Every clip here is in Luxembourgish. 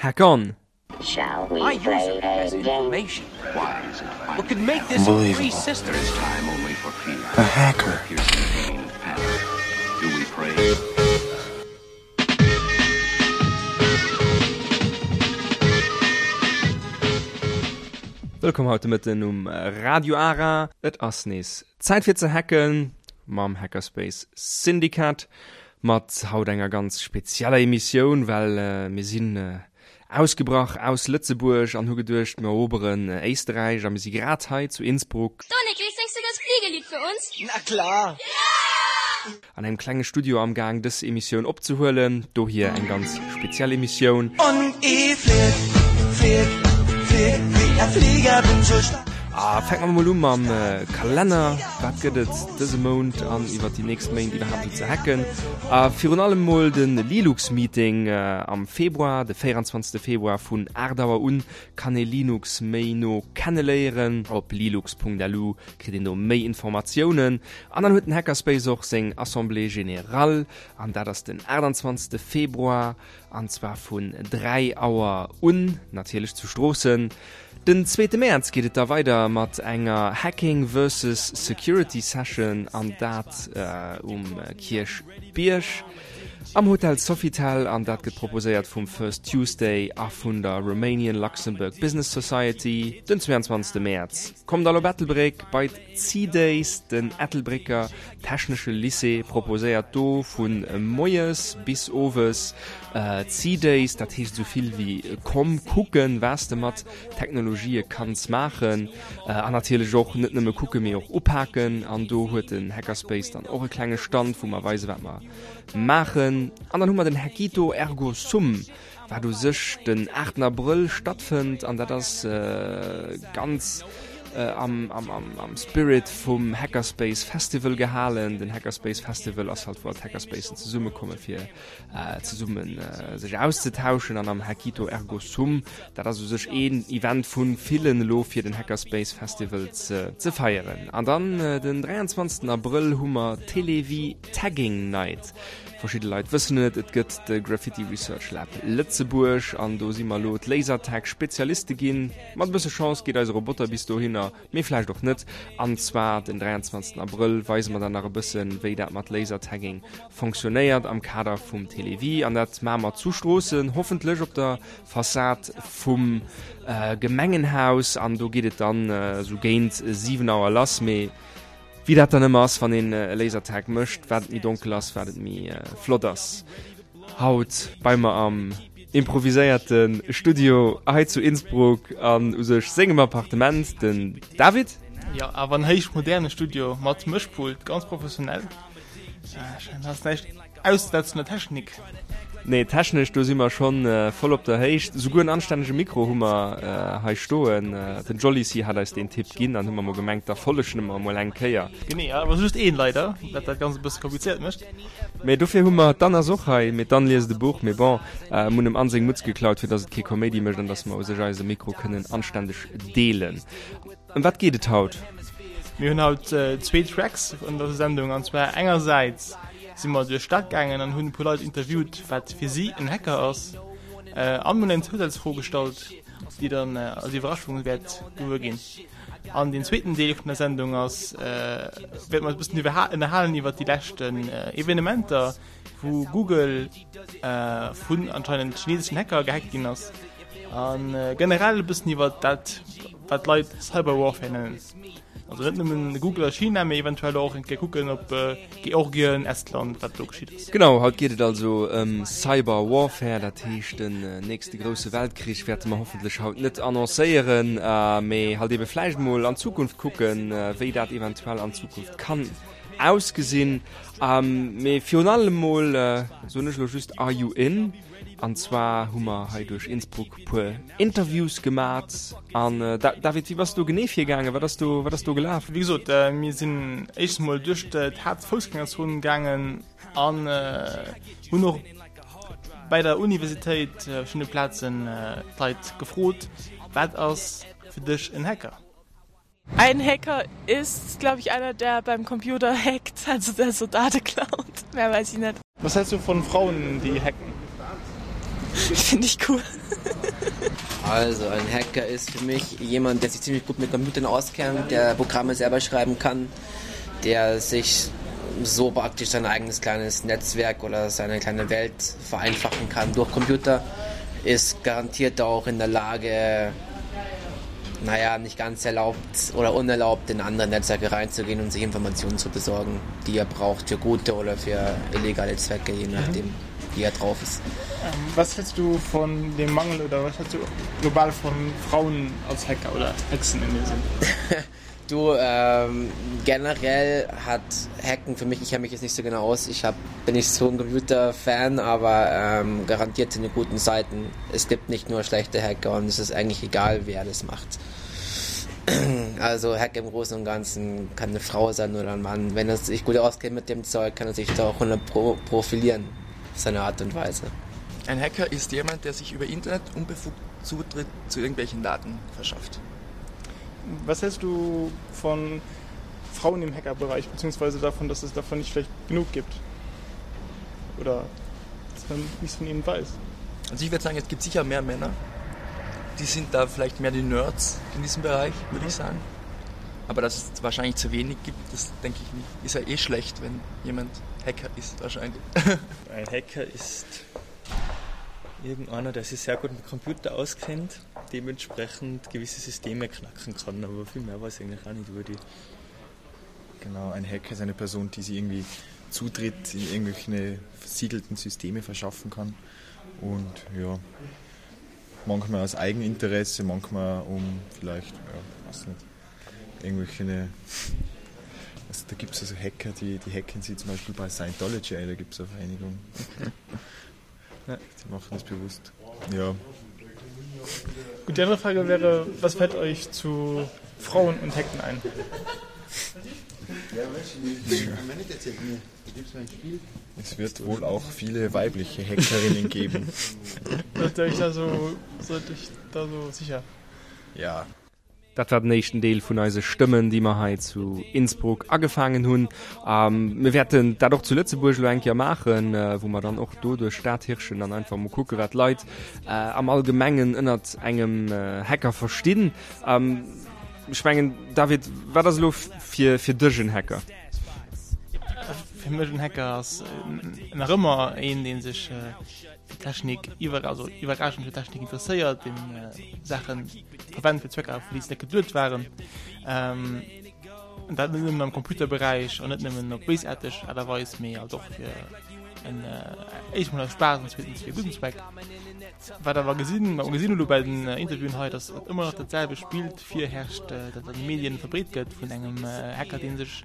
Hack on! Shall we I use it as information. Why is it What could make this a free system? There is time only for fear. A hacker. Piercing pain of panic. Do we pray? Wëllkomm haut de Mëtten um Radio Ara. Et ass nees Zäit fir ze hacken mam Hackerspace Syndicat. Mat haut enger ganz spezieller Emissioun, well mir sinn ausgebrach aus Lëtzebuerg an hu geduecht, mir eroberen Éisterräich a mir si grad hei zu Innsbruck. Donikli, singst du das Fliegelied für uns? Na klar! An engem klenge Studio am Gaang dës Emissioun opzehuelen. Dohier eng ganz speziell Emissioun. Und i flieg, flieg, flieg wie a Flieger, bin so stark. A fänke mer mol u mam Kalenner. Wat gëtt et dëse Mount an iwwer déi nächst Méint iwwerhaapt esou ze hacken? A virun allem mol de Linux-Meeting am Februar, de 24. Februar vun 8 Auer un kann ee Linux méi no kenneléieren. Op lilux.lu kritt een do méi Informatiounen. An dann huet den Hackerspace och seng Assemblée Générale an dat ass den 28. Februar an zwar vun 3 Auer un, natierlech zu Stroossen. Den zweete Mäerz geet et da weider mat enger Hacking versus Security Session an dat um Kierchbierg am Hotel Sofitel an dat gëtt proposéiert vum First Tuesday a vun der Romanian Luxembourg Business Society. Den 22. Mäerz kommt all op Ettelbréck bei d'C-Days. Den Ettelbrécker Technesche Lycée proposéiert do vu moies bis owes C-Days, dat heescht esou vill wéi komm kucken, was de mat Technologië kanns maachen. An natierlech och net nëmme kucken, mee och upaken. An do huet den Hackerspace dann och e klenge Stand, wou mer weisen, wat mer maachen. An dann hu mer den Hackito Ergo Sum, wat u sech den 8 Abrëll stattfënnt an dat ass ganz am, am, am, am Spirit vum Hackerspace Festival gehalen. Den Hackerspace Festival ass halt wou all d'Hackerspacen zesummekomme fir zesumme sech auszetauschen an am Hackito Ergo Sum, dat ass u sech een Event vu villen elo fir den Hackerspace Festival ze, ze feieren. An dann den 23 Abrëll hu mer Télévie Tagging Night. Verschidde Leit wëssen et, et gëtt de Graffiti Research Lab Lëtzebuerg an do si mer elo d'Lasertag-Spezialiste ginn. Mat e bësse Chance geet eise Roboter bis dohinner, mee vläicht och net. An zwar den 23 Abrëll weise mer dann nach e bëssen, wéi dat mat Lasertagging fonctionnéiert am Kader vum Télévie. An dat maache mer zu Stroossen, hoffentlech op der Fassad vum Gemengenhaus. An do geet et dann esou géint 7 Auer lass. Mee Wéi dat dann ëmmer ass, wann een e Lasertag mécht, wat et méi donkel ass, wat et méi flott ass. Haut bei mer am improviséierte Studio hei zu Innsbruck an u sech sengem Appartement den David. Jo, awer en héich moderne Studio mat Mëschpult, ganz professionell. Scheint ass näischt Aussetzen der Technik. Nee, technesch, do si mer schonn voll op der Héicht. Souguer en anstännege Mikro hu mer hei stoen. Den Jollyc hat eis deen Tipp ginn, dann hu mer mol gemengt, da follegen mer emol eng Kéier. Genee, awer just een leider, wat dat Ganzt e bësse komplizéiert mécht. Mee dofir hu mer, d'Anne ass och hei, mee d'Anne liest e Buch, mee bon, mir hunn em Anne seng Mutz geklaut, fir dass et kee Koméidi mécht an dass mer u sech eise Mikro kënnen anständeg deelen. Ëm wat geet et haut? Mir hunn haut zwee Tracks an der Sendung an zwar engersäits si mer duerch d'Stad gaangen an hunn e puer Leit interviewt wat fir si en Hacker ass an hunn eng Zousazfro gestallt déi dann als Iwwerraschung wäert gewuer ginn. An den zweeten Deel vun der Sendung ass wäerte mer eis e bëssen ënnerhalen iwwer déi leschten Evenementer wou Google vun anscheinend chineseschen Hacker gehackt ginn ass a generell e bëssen iwwer dat wat d'Leit Cyber Warfare nennen. Also net nëmmen Google a China, mee eventuell och eng Kéier kucken op Georgien, Estland, wat do geschitt ass. Genau, haut geet et also ëm Cyber Warfare, dat heescht den nächste grousse Weltkrich wäerte mer hoffentlech haut net annoncéieren, mee halt ebe vläicht mol an d'Zukunft kucken, wéi dat eventuell an Zukunft kann ausgesinn. Mee virun allem mol soen ech elo just Are you in? An zwar hu mer hei duerch Innsbruck puer Interviews gemat. An David, wéi bass du genee virgaangen? Wat ass do, wat ass do gelaf? Wéi gesot, mir sinn éischtens mol duerch d'Haaptfoussgängerzon gaangen an hunn och bäi der Universitéit op verschiddene Plazen d'Leit gefrot, Wat ass fir dech en Hacker? Ein Hacker ist, glaube ich, einer, der beim Computer hackt, also der so Daten klaut. Mehr weiß ich net. Was hältst du von Frauen, die hacken? Finde ich cool. Also ein Hacker ist für mich jemand, der sich ziemlich gut mit Computern auskennt, der Programme selber schreiben kann, der sich so praktisch sein eigenes kleines Netzwerk oder seine kleine Welt vereinfachen kann durch Computer, ist garantiert auch in der Lage, naja, nicht ganz erlaubt oder unerlaubt in andere Netzwerke reinzugehen und sich Informationen zu besorgen, die er braucht für gute oder für illegale Zwecke, je mhm. nachdem. Mhm wie er drauf ist. Ähm, was hältst du von dem Mangel oder was hältst du global von Frauen als Hacker oder Hexen in dem Sinn? Du, ähm, generell hat Hacken für mich, ich kenne mich jetzt nicht so genau aus, ich hab, bin nicht so ein Computerfan, aber ähm, garantiert sind die guten Seiten. Es gibt nicht nur schlechte Hacker und es ist eigentlich egal, wer das macht. Also Hack im Großen und Ganzen kann eine Frau sein oder ein Mann. Wenn er sich gut auskennt mit dem Zeug, kann er sich da auch 100 pro profilieren auf seine Art und Weise. Ein Hacker ist jemand, der sich über Internet unbefugt Zutritt zu irgendwelchen Daten verschafft. Was hältst du von Frauen im Hackerbereich beziehungsweise davon, dass es davon nicht vielleicht genug gibt? Oder dass man nichts von ihnen weiß? Also ich würde sagen, es gibt sicher mehr Männer. Die sind da vielleicht mehr die Nerds in diesem Bereich, würde ich sagen. Aber dass es wahrscheinlich zu wenig gibt, das denke ich nicht. Ist ja eh schlecht, wenn jemand Hacker ist wahrscheinlich. Ein Hacker ist irgendeiner, der sich sehr gut mit Computer auskennt, dementsprechend gewisse Systeme knacken kann, aber viel mehr weiß ich eigentlich auch nicht über die. Genau, ein Hacker ist eine Person, die sich irgendwie Zutritt in irgendwelche versiegelten Systeme verschaffen kann und ja manchmal aus Eigeninteresse, manchmal um vielleicht ja, weiß nicht, irgendwelche also da gibt es also Hacker, die, die hacken sie zum Beispiel bei Scientology ein, da gibt es eine Vereinigung. Ja. Die machen das bewusst. Ja. Gut, die andere Frage wäre, was fällt euch zu Frauen und Hacken ein? Es wird wohl auch viele weibliche Hackerinnen geben. Seid ihr euch da so, seid euch da so sicher? Ja. Dat war den éischten Deel vun eise Stëmmen, déi mer hei zu Innsbruck agefaangen hunn. Mir wäerten dat och zu Lëtzebuerg elo eng Kéier maachen, wou mer dann och do duerch d'Stad hirschen an einfach mol kucke wat d'Leit am Allgemengen ënnert engem Hacker verstinn. Ech mengen, David, wat ass elo fir fir dech en Hacker? Fir mech en Hacker ass nach ëmmer een, dee sech fir Technik iwwer also iwwerraschend fir Technik interesséiert, deen Saache verwennt fir Zwecker, fir déi se net geduet waren. Ähm, dat net nëmmen am Computerberäich an net nëmmen op béisaarteg Aart a Weis, mee alt och fir en äh, éischt mol aus Spaass an zweetens fir e gudden Zweck. Wat awer gesinn, wat mer gesinn hu lo bei den Interviewen hei, datt et ëmmer nach dat selwecht Bild virherrscht, dat an de Medien verbreet gëtt vun engem Hacker, dee sech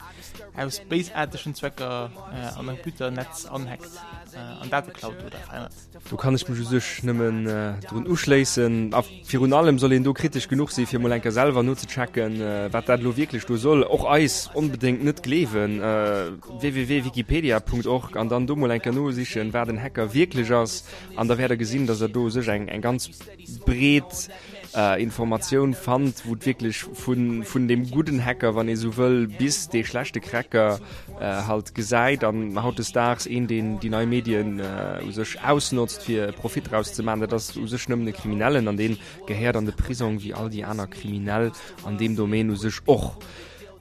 aus béisaartegen Zwecker an e Computernetz anhackt an Date klaut oder verännert. Do kann ech mech u sech nëmmen drun uschléissen. A virun allem soll een do kritesch genuch si fir mol eng Kéier selwer nozechecken, wat dat elo wierklech do soll. Och eis onbedéngt net gleewen, www.wikipedia.org, an dann do mol eng Kéier nosichen, wat en Hacker wierklech ass. An da wäert der gesinn, dass der do u sech eng ganz breet Informatioun fannt, wou et wierklech vun, vun deem gudden Hacker, wann ee sou wëll, bis dee schlechte Cracker halt gesäit. An hautdesdaags een, deen déi nei Medien u sech ausnotzt, fir Profit draus ze maachen, dat ass u sech nëmmen e Kriminellen an dee gehéiert an de Prisong wéi all déi aner Kriminell an deem Domaine u sech och.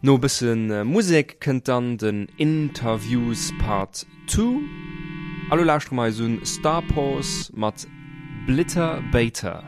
No e bësse Musek kënnt dann den Interviews Part Two. A lo lauschtere mer eis un Starpaws mat Blitter Baiter.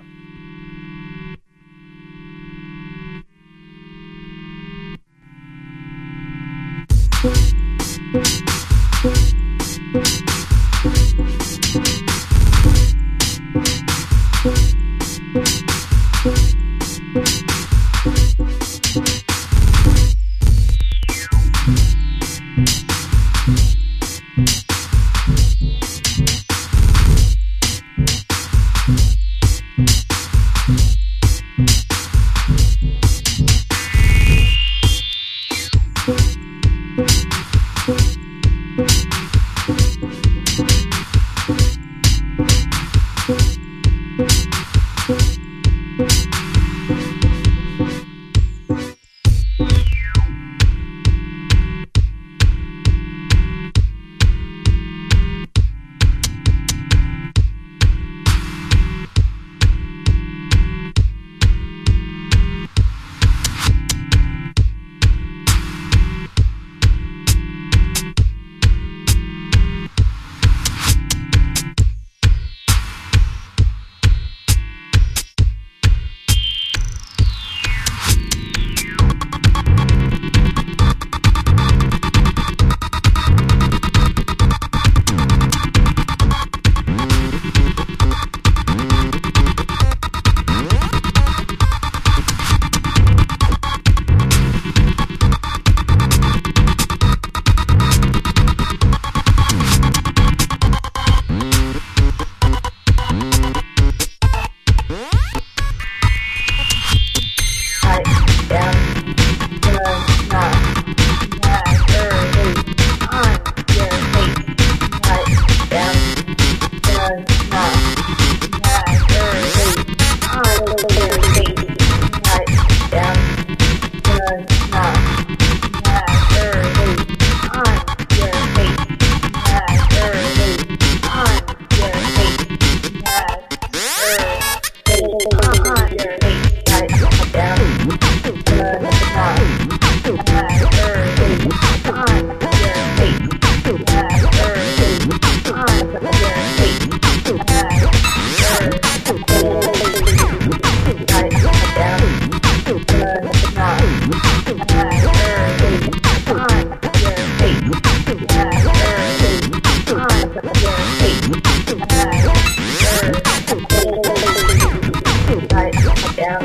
am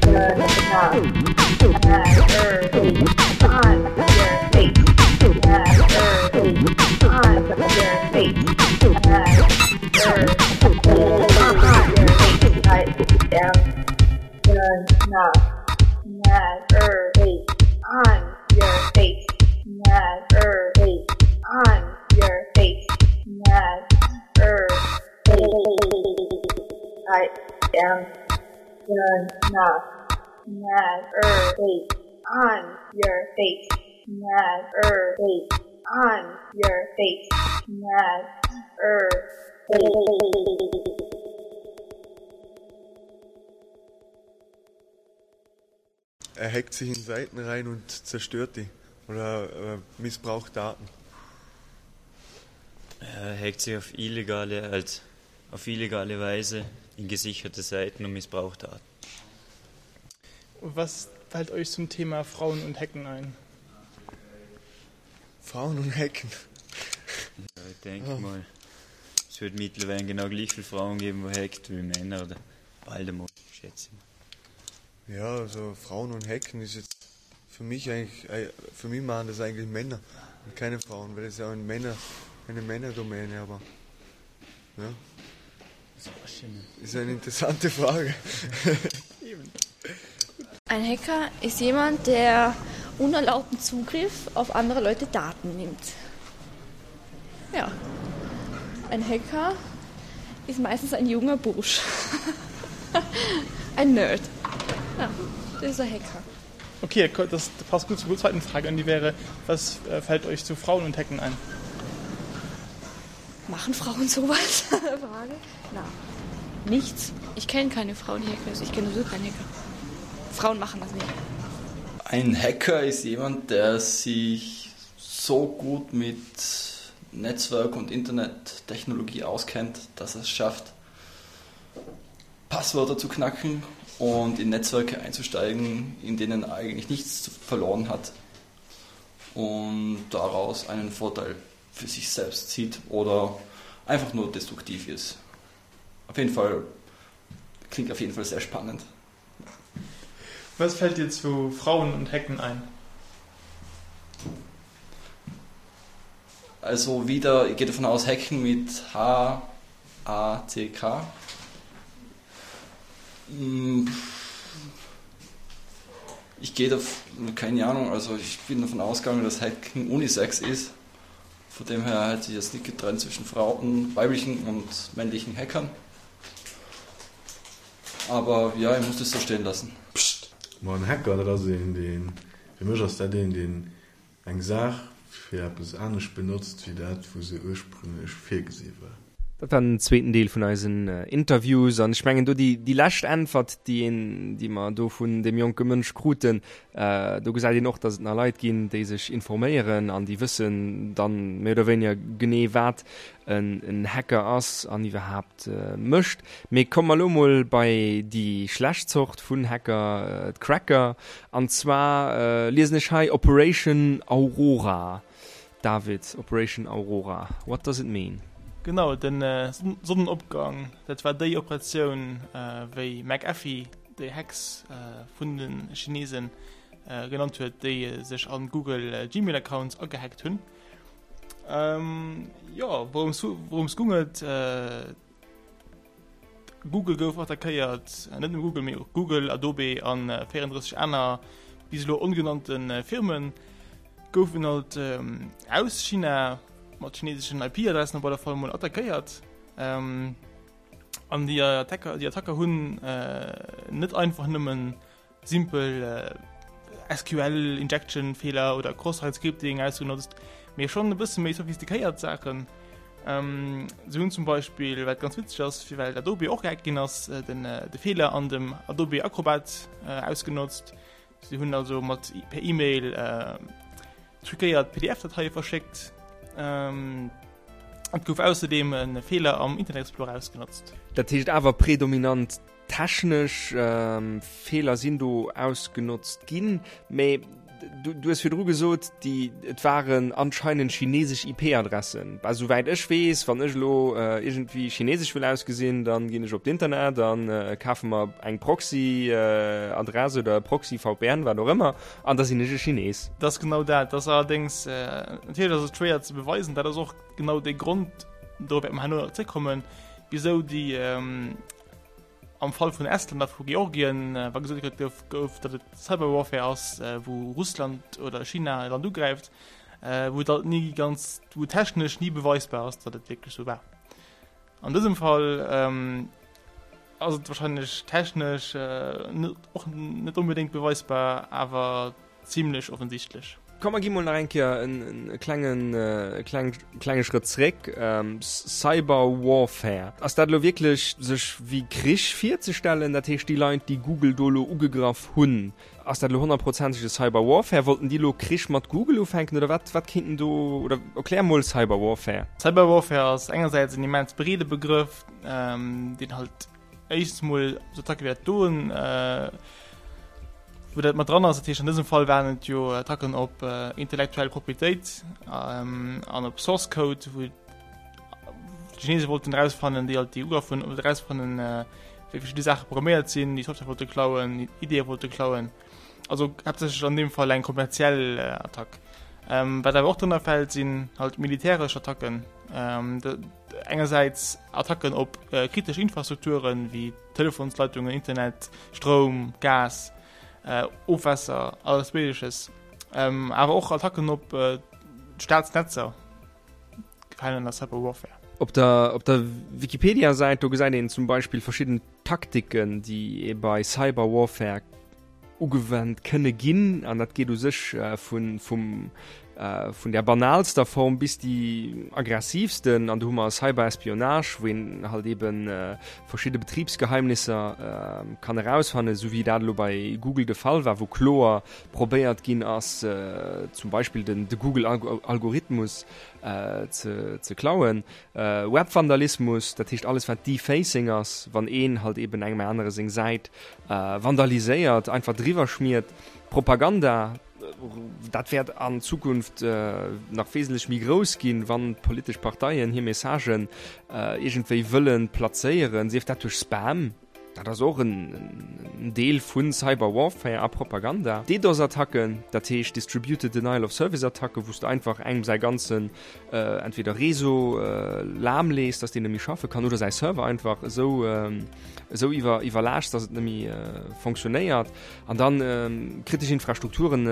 gonna never be on your face. Never be on your face. Never be on your face. I am gonna never be on your face. Never be on your face. Never be. I am gonna never be on your face. Never be on your face. Never be. Er hackt sich in Seiten rein und zerstört die oder missbraucht Daten. Er hackt sich auf illegale, als auf illegale Weise in gesicherte Seiten und missbraucht Daten. Was fällt euch zum Thema Frauen und Hacken ein? Frauen und Hacken. Ja, ich denke oh. mal, es wird mittlerweile genau gleich viele Frauen geben, wo hackt wie Männer oder bald einmal, schätze ich. Ja, also Frauen und Hacken ist jetzt für mich eigentlich, äh, für mich machen das eigentlich Männer und keine Frauen, weil das ja ein Männer, eine Männerdomäne, aber ja. Ist eine interessante Frage. Ein Hacker ist jemand, der unerlaubten Zugriff auf andere Leute Daten nimmt. Ja. Ein Hacker ist meistens ein junger Bursch. ein Nerd. Ja, das ist ein Hacker. Okay, das passt gut zur zweiten Frage an die wäre, was äh, fällt euch zu Frauen und Hacken ein? Machen Frauen sowas? Frage? Na, nichts. Ich kenne keine Frauen, die hacken. Also ich kenne sowieso keinen Hacker. Frauen machen das nicht. Ein Hacker ist jemand, der sich so gut mit Netzwerk und Internettechnologie auskennt, dass er es schafft, Passwörter zu knacken und in Netzwerke einzusteigen, in denen er eigentlich nichts verloren hat und daraus einen Vorteil für sich selbst zieht oder einfach nur destruktiv ist. Auf jeden Fall klingt auf jeden Fall sehr spannend. Was fällt dir zu Frauen und Hecken ein? Also wieder, ich gehe davon aus, Hacken mit H A C K. Hm. Ich gehe da, keine Ahnung, also ich bin davon ausgegangen, dass Hacken Unisex ist. Von dem her hätte ich jetzt nicht getrennt zwischen Frauen, weiblichen und männlichen Hackern. Aber ja, ich muss das so stehen lassen. Pscht! Ma en Hacker, dat ass een, deen, fir mech ass dat een, deen eng Saach fir eppes anescht benotzt, wéi dat, wou se ursprünglech virgesi war. Dat war den zweeten Deel vun eisen Interviews an ech mengen do déi, déi lescht Äntwert, déi een, déi mer do vun deem jonke Mënsch kruten, do gesäit een och, datt et nach Leit ginn, déi sech informéieren an déi wëssen dann méi oder wéiniger genee, wat en, en Hacker ass an iwwerhaapt mécht. Mee komme mer elo mol bei déi schlecht Zort vun Hacker, d'Cracker. An zwar liesen ech hei Operation Aurora. David, Operation Aurora, what does it mean? Genau, den Sonnenopgang, dat war déi Operatioun, wéi McAfee déi Hacks vun de Chinesen genannt huet, déi sech an Google Gmail Accounts agehackt hunn. Jo, wourëms goung et? Google gouf attackéiert, net nëmme Google, mee och Google, Adobe an 34 aner bis elo ongenannte Firmen goufen halt aus China mat chineseschen IP-Adressen op alle Fall mol attackéiert. An déi Attacker, déi Attacker hunn net einfach nëmmen simpel SQL Injection Feeler oder Cross-Site Scripting ausgenotzt, mee schonn e bësse méi sophistiquéiert Saachen. Se hunn zum Beispill, wat ganz witzeg ass, fir well Adobe och gehackt ginn ass, den de Feeler an dem Adobe Acrobat ausgenotzt. Se hunn also mat per E-Mail truquéiert PDF-Dateie verschéckt. Et gouf ausserdeem e Feeler am Internet Explorer ausgenotzt. Dat heescht awer predominant Technesch Feeler sinn do ausgenotzt ginn, mee Du, du hues virdru gesot, déi, et waren anscheinend chinesesch IP-Adressen. Bah, souwäit ech weess, wann ech elo äh, iergendwéi chinesesch wëll ausgesinn, dann ginn ech op d'Internet an äh, kafe mer eng Proxy-Adress äh, oder Proxy-VPN, wat och ëmmer, an da sinn ech e Chines. Dat ass genau dat. Dat ass allerdéngs, äh, natierlech ass et schwéier ze beweisen, dat ass och genau dee Grond, dorop wäerte mer herno nach zréckkommen, wisou déi, ähm, Am Fall vun Estland a vu Georgien, wa gesot gëtt gouf, gouf, datt et Cyberwarfare ass, wou Russland oder China e Land ugräift, wou et halt ni ganz, wou technesch ni beweisbar ass, datt et wierklech esou war. An dësem Fall ass et wahrscheinlech technesch net, och net onbedéngt beweisbar, awer Zimlech offensichtlech. Komm mer gi mol nach eng Kéier en klengen klenge Schrëtt zréck. Cyber Warfare, ass dat elo wierklech sech wéi Krich virzestellen? Dat heescht déi Leit déi Google do elo ugegraff hunn, ass dat elo honnertprozenteg e Cyber Warfare? Wollten déi elo Krich mat Google ufänken oder wat wat kéinten do, oder erklär mol Cyber Warfare. Cyber Warfare ass engersäits en immens breede Begrëff, deen halt Éischtens mol sou Attacke wéi dat doen, wou dat mat dran ass. Dat heescht an dësem Fall waren et jo Attacken op intellektuell Proprietéit an op Source Code, wou d'Chinese wollten erausfannen, déi halt déi ugraff hunn, erausfannen, wéi verschidde Saache programméiert sinn, déi Software wollte klauen, Ideeë wollte klauen. Also haaptsächlech an deem Fall eng kommerziell Attack. Wat awer och drënner fält, sinn halt militäresch Attacken. Engersäits Attacken op kritesch Infrastrukturen, wéi Telefonsleitungen, Internet, Stroum, Gas, Ofwässer, alles Méigleches. Awer och Attacken op Staatsnetzer gefalen ënner Cyber Warfare. Op der op der Wikipedia-Säit, do gesäit een zum Beispill verschidden Taktiken, déi ee bei Cyber Warfare ugewennt kënne ginn, an dat geet u sech vun vum vun der banalster Form bis déi aggressivsten, an do hu mer Cyberespionage, wou een halt eben verschidde Betribsgeheimnisser kann erausfannen, esou wéi dat elo bei Google de Fall war, wou kloer probéiert ginn ass, zum Beispill den de Google-Algorithmus ze ze klauen. Webvandalismus, dat heescht alles wat Defacing ass, wann een halt eben engem anere seng Säit vandaliséiert, einfach driwwer schmiert. Propaganda, dat wäert an Zukunft nach wesentlech méi grouss ginn, wann d'politesch Parteien hir Messagen iergendwéi wëlle plazéieren, sief dat duerch Spam, Dat ass och en Deel vu Cyber Warfare a Propaganda. DDoS-Attacken, dat heescht Distributed Denial of Service-Attacken, wou s de einfach engem säi ganzen entweder Réseau lahmlees, dass deen net méi schaffe kann, oder säi Server einfach esou esou iwwer iwwerlaaschts, dass et net méi fonctionnéiert. An dann kritesch Infrastrukturen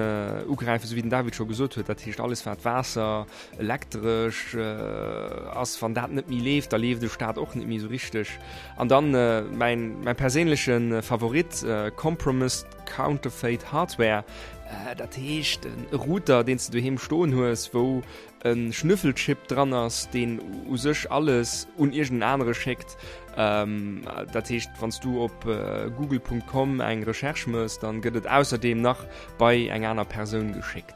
ugräifen, esou wéi den David scho gesot huet, dat heescht alles wat Waasser, Elektresch ass, wann dat net méi leeft, da leeft de Staat och net méi esou richteg. An dann mäin mäin perséinleche Favorit, Compromised Counterfeit Hardware, dat heescht e Router, deen s de doheem stoen hues, wou e Schnüffelchip dran ass, deen u sech alles un iergend en anere schéckt. Dat heescht, wann s du op google.com eng Recherche mëss, dann gëtt et ausserdeem nach bei eng aner Persoun geschéckt.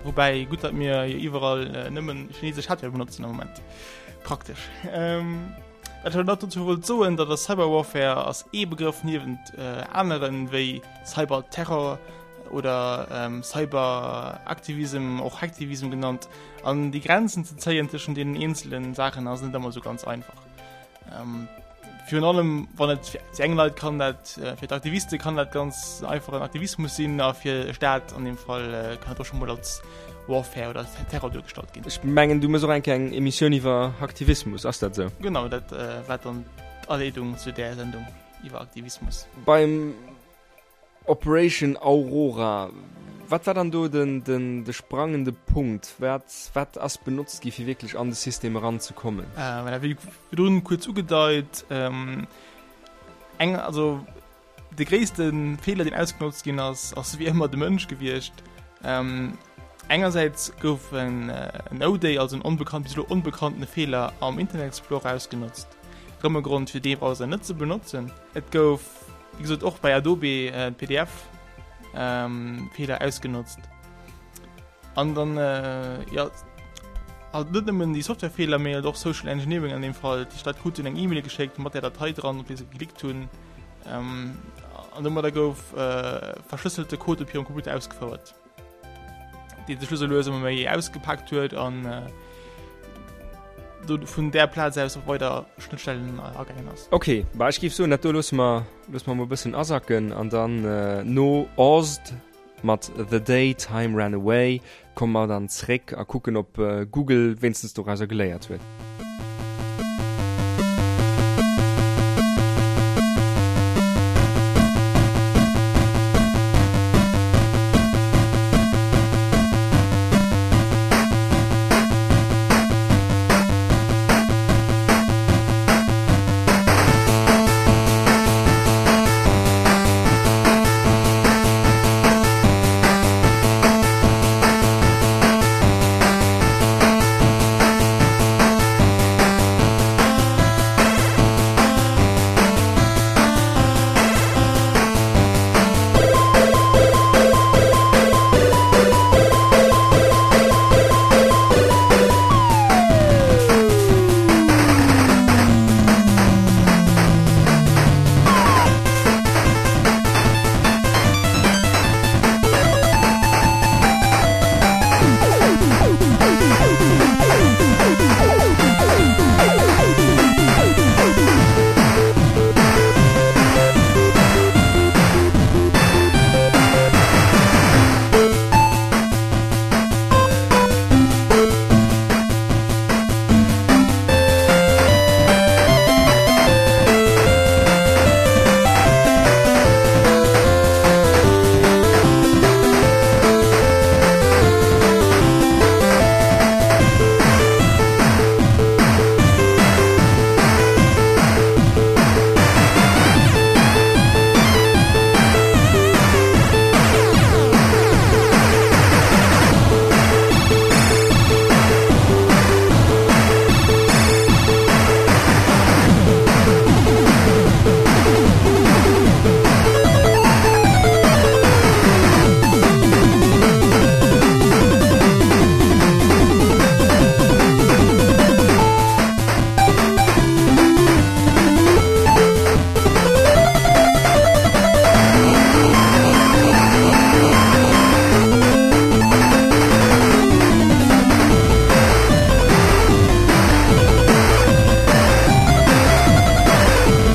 Woubäi, gutt datt mir jo iwwerall nëmmen chinesesch Hardware benotzen am Moment. Praktesch. Wat ech nach dozou wollt soen, dat ass Cyber Warfare ass ee Begrëff niewent aneren, wéi Cyberterror oder Cyberaktivism, och Hacktivism genannt. An déi Grenzen ze zéien tëschent deenen eenzele Saachen ass net ëmmer esou ganz einfach. Virun allem wann et fir eng Leit kann dat fir d'Aktiviste kann dat ganz einfachen Aktivismus sinn a fir e Staat an dem Fall kann et och schon mol als Warfare oder Terror duergestallt ginn. Ech mengen du mëss och eng Kéier eng Emissioun iwwer Hacktivismus, ass dat esou? Genau, dat war dann d'Aleedung zu där Sendung iwwer Aktivismus. Beim Operation Aurora, wat war dann do den de sprangende Punkt? Wat wat ass benotzt gi fir wierklech an de System eran ze kommen? Voilà, wéi virdrun kuerz ugedeit, eng also de gréisste Feeler deen ausgenotzt ginn ass, ass wéi ëmmer de Mënsch gewiescht. Engersäits gouf en 0-Day, also en onbekannt, bis elo onbekanntene Feeler am Internet Explorer ausgenotzt, erëm e Grond fir dee Browser net ze benotzen. Et gouf wéi gesot och bei Adobe PDF Feeler ausgenotzt. An dann jo halt net nëmmen déi Softwarefeeler, mee halt och Social Engineering an deem Fall. Déi Leit kruten eng E-Mail geschéckt mat där Datei dran, op déi se geklickt hunn. An domadder gouf verschlësselte Code op hirem Computer ausgefouert. dee sech lues a lues ëmmer méi ausgepaakt huet an do vun där Plaz aus op weider Schnëttstellen agaangen ass. Ok, bah ech géif soen, dat do loosse mer, loosse mer mol e bëssen asacken an dann no Ozzed mat The Day Time Ran Away komme mer dann zréck a kucken ob Google wéinstens dorauser geléiert huet.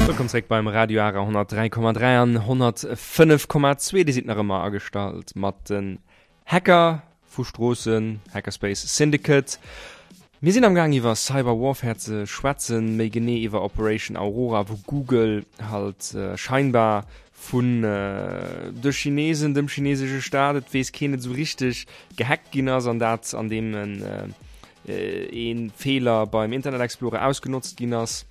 Wëllkomm zréck beim Radio Ara 103,3 an 105,2. Dir sidd nach ëmmer agestallt mat den Hacker vu Stroossen, Hackerspace Syndicate. Mir sinn am Gaang iwwer Cyber Warfare ze schwätzen, méi genee iwwer Operation Aurora, wou Google halt scheinbar vun de Chinesen, dem chinesesche Staat, et weess keen et esou richteg, gehackt ginn ass an dat an deem en ee Feeler beim Internet Explorer ausgenotzt ginn ass.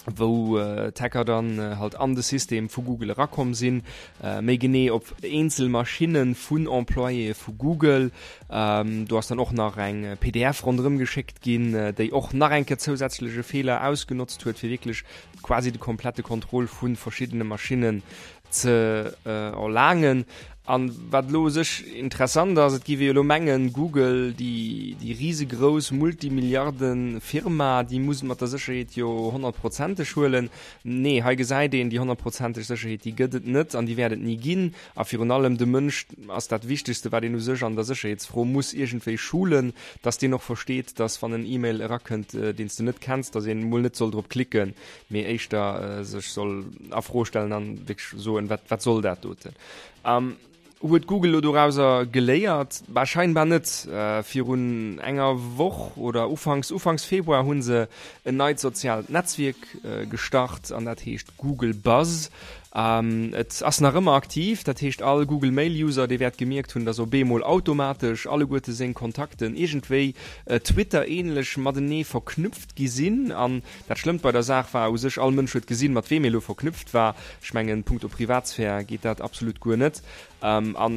wou d'Hacker dann halt an de System vu Google erakomm sinn, méi genee op eenzel Maschinne vun Employéë vu Google. Do ass dann och nach eng pdf ronderëm geschéckt ginn, déi och nach eng Kéier zousätzlech e Feeler ausgenotzt huet, fir wierklech quasi de komplette Contrôle vu verschiddene Maschinnen ze erlaangen. An wat elo u sech interessant ass, et géif ee jo elo mengen, Google, déi, déi risegrouss Multimilliarde-Firma, déi muss et mat der Sécherheet jo honnertprozenteg huelen. Nee, hei gesäit een, déi honnertprozenteg Sécherheet, déi gëtt et net an déi wäert et ni ginn. A virun allem, de Mënsch ass dat Wichtegste, wat een u sech an der Sécherheetsfro muss iergendwéi schulen, dass deen och versteet, dass wann en E-Mail erakënnt, deen s de net kenns, dass een emol net soll drop klicken, mee éischter sech soll a Fro stellen an wierklech soen, wat, wat soll dat doten? Um, huet Google lo dorauser geléiert? Bah, scheinbar net. Äh, virun enger Woch oder ufanks, ufanks Februar hunn se en neit soziaalt Netzwierk äh, gestart an dat heescht Google Buzz. Ähm, et ass nach ëmmer aktiv, dat heescht all Google Mail User, dee wäert gemierkt hunn, dass op eemol automatesch alleguerte seng Kontakten iergendwéi äh, Twitter-ähnlech matenee verknüpft gi sinn an Dat Schlëmmt bei der Saach war u sech, all Mënsch huet gesinn, mat weem ee lo verknüpft war. Ech mengen, punkto Privatsphär geet dat absolut guer net. A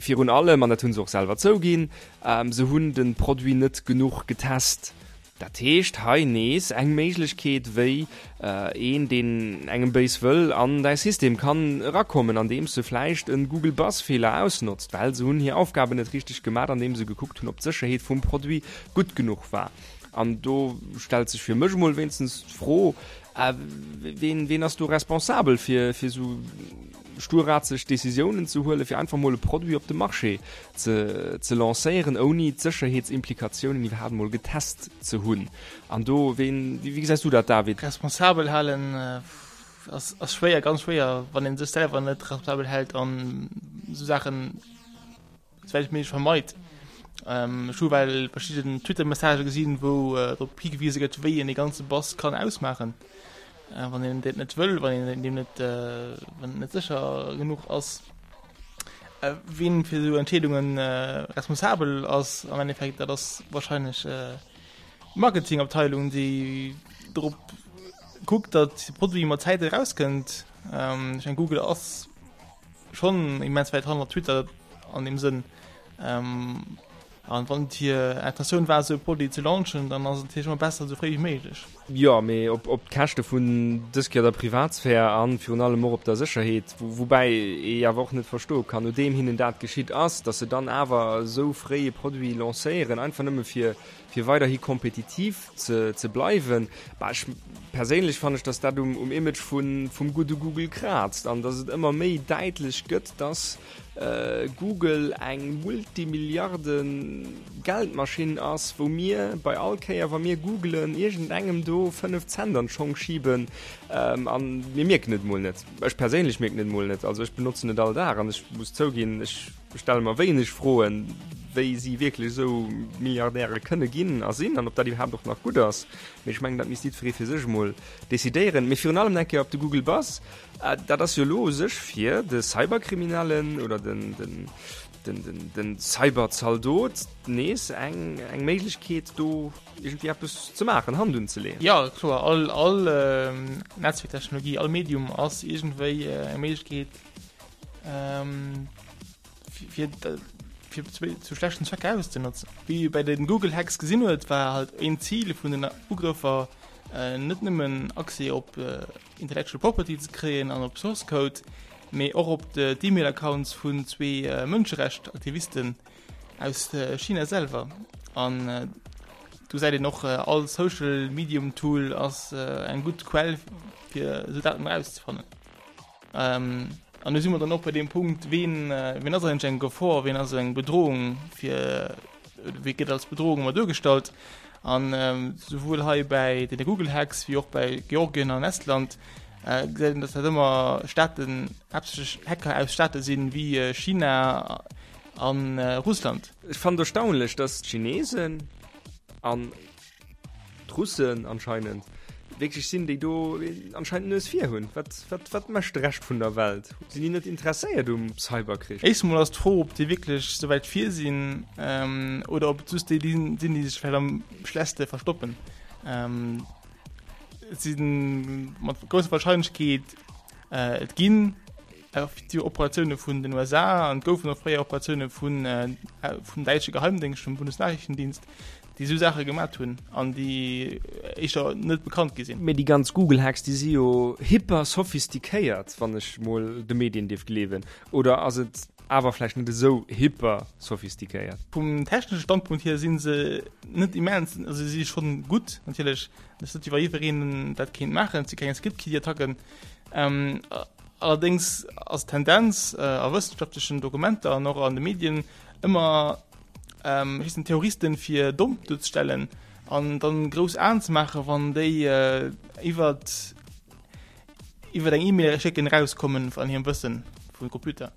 virun allem, an dat hu se och selwer zouginn, se hunn de Produit net genuch getest. Dat heescht, hei nees eng Méiglechkeet, wéi een, deen engem béis wëll, an däi System kann erakommen, andeems e vläicht e Google Buzz-Feeler ausnotzt, well se hunn hir Aufgaben net richteg gemat, andeem se gekuckt hunn, ob d'Sécherheet vum Produit gutt genuch war. An do stellt sech fir mech emol wéinstens d'Fro, ween, ween ass do responsabel fir, fir esou sturrazeg Decisiounen ze huelen, fir einfach mol e Produit op de Marché ze ze lancéieren, ouni d'Sécherheetsimplikatiounen iwwerhaapt mol getest ze hunn. An do, ween, wéi gesäis du dat, David? Responsabel halen ass ass schwéier, ganz schwéier, wann ee sech selwer net responsabel hält an esou Saachen souwäit wéi méiglech vermeit. Ech hu well verschidden Twitter-Messagë gesinn, wou drop higewise gëtt, wéi een dee ganze Bass kann ausmaachen, wann een dat net wëll, wann een deem net, wann et net sécher genuch ass. Wien fir esou Entscheedunge responsabel ass am Endeffekt, dat ass wahrscheinlech d'Marketingabteilung, déi drop kuckt, datt de Produit mat Zäit erauskënnt. Ech mengen, Google ass schonn immens wäit hannert Twitter an deem Sënn. An wann et hir Intentioun war, esou e Produit ze launchen, dann ass et natierlech ëmmer besser, esou fréi wéi méiglech. Jo, mee op op d'Käschte vun dës Kéier der Privatsphär a virun allem och op der Sécherheet. Woubäi ee awer och net verstoe kann, nodeem hinnen dat geschitt ass, datt se dann awer esou fréi e Produit lancéieren, einfach nëmme fir fir weiderhi kompetitiv ze ze bleiwen. Bah, ech perséinlech fannen ech, dass dat um um Image vun vum gudde Google kraazt an dass et ëmmer méi däitlech gëtt, dass Google eng Multimilliarden Geldmaschinn ass, wou mir bei all Kéier wa mir googlen iergendengem do 5 Cent an d'Schong schiben an mir mierken et mol net. Ech perséinlech mierken et mol net. Also ech benotzen et all Dag an ech muss zouginn, ech stelle mer wéineg Froen, wéi si wierklech esou Milliardäre kënne ginn a sinn an ob dat iwwerhaapt och nach gutt ass. Mee ech mengen, dat misst jiddweree fir sech emol decidéieren. Mee virun allem eng Kéier op de Google Buzz, dat ass jo elo u sech fir de Cyberkriminellen oder den, den, den, den, den Cyberzaldot nees eng, eng Méiglechkeet, do iergendwéi eppes ze maachen, Hand unzeleeën. Jo, kloer, all, all Netzwerktechnologie, all Medium ass iergendwéi eng Méiglechkeet, fir fir zu schlechten Zwecker auszenotzen. Wéi ee bei den Google Hacks gesinn huet, war halt een Zil vun den Ugrëffer net nëmmen Accès op Intellectual Property ze kréien an op Source Code, mee och op d'E-Mail Accounts vun zwee Mënscherecht-Aktivisten aus China selwer. An do gesäit een och, all Social Medium Tool ass eng gutt Quell fir esou Daten erauszefannen. An do si mer dann och bei deem Punkt, ween, ween ass eigentlech eng Gefor, ween ass eng Bedrohung fir, wee gëtt als Bedrohung ëmmer duergestallt? An souwuel hei bäi deene Google-Hacks wéi och bäi Georgien an Estland gesäit een, datt dat ëmmer Staaten, haaptsächlech Hacker aus Staate sinn, wéi China a Russland. Ech fannen et erstaunlech, datt d'Chinesen an D'Russen anscheinend wierklech sinn, déi do anscheinend d'Nues vir hunn. Wat, wat, wat mécht de Rescht vun der Welt? Sinn déi net interesséiert um Cyberkrich? Éischt emol ass d'Fro, ob déi wierklech esou wäit vir sinn oder ob et just déi sinn, déi sech vläicht am schlechste verstoppen. Et si mat grousser Warscheinlechkeet, et ginn déi Operatioune vun den USA an et goufen och fréier Operatioune vun, vum däitsche Geheimdéngscht, vum Bundesnachrichtendienst, déi esou Saache gemat hunn an déi éischter net bekannt gi sinn. Mee déi ganz Google-Hacks, déi si jo hyper sophistiquéiert, wann ech mol de Medien dierf gleewen. Oder ass et awer vläicht net esou hyper sophistiquéiert? Vum technesche Standpunkt hier si se net immens, also si si schonn gutt natierlech, et ass net wéi wa jiddwereen dat kéint maachen, et si keng Script-Kiddie-Attacken. Allerdéngs ass d'Tendenz a wëssenschaftlechen Dokumenter an och an de Medien ëmmer, héchstens Terroristen fir domm duerzestellen an dann grouss Aen ze maachen, wann déi iwwert iwwert eng E-Mail schécken erauskommen an hirem Wëssen vum Computer,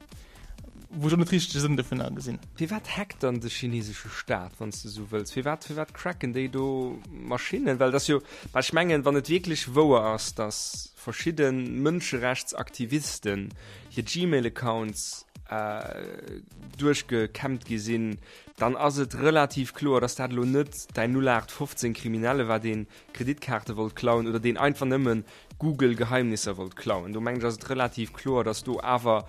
wou ech och net richteg de Sënn dovunner gesinn. Firwat hackt dann de chinesesche Staat, wann s de esou wëlls? Firwat firwat cracken déi do Maschinnen? Well et ass jo, well ech mengen, wann et wierklech wouer ass, datt verschidde Mënscherechtsaktivisten hir Gmail-Accounts duerchgekämmt gi sinn, dann ass et relativ kloer, dass dat elo net däin 0815 Kriminelle war, deen Kreditkaarte wollt klauen oder deen einfach nëmme Google-Geheimnisser wollt klauen. Do mengen ech, ass et relativ kloer, dass do awer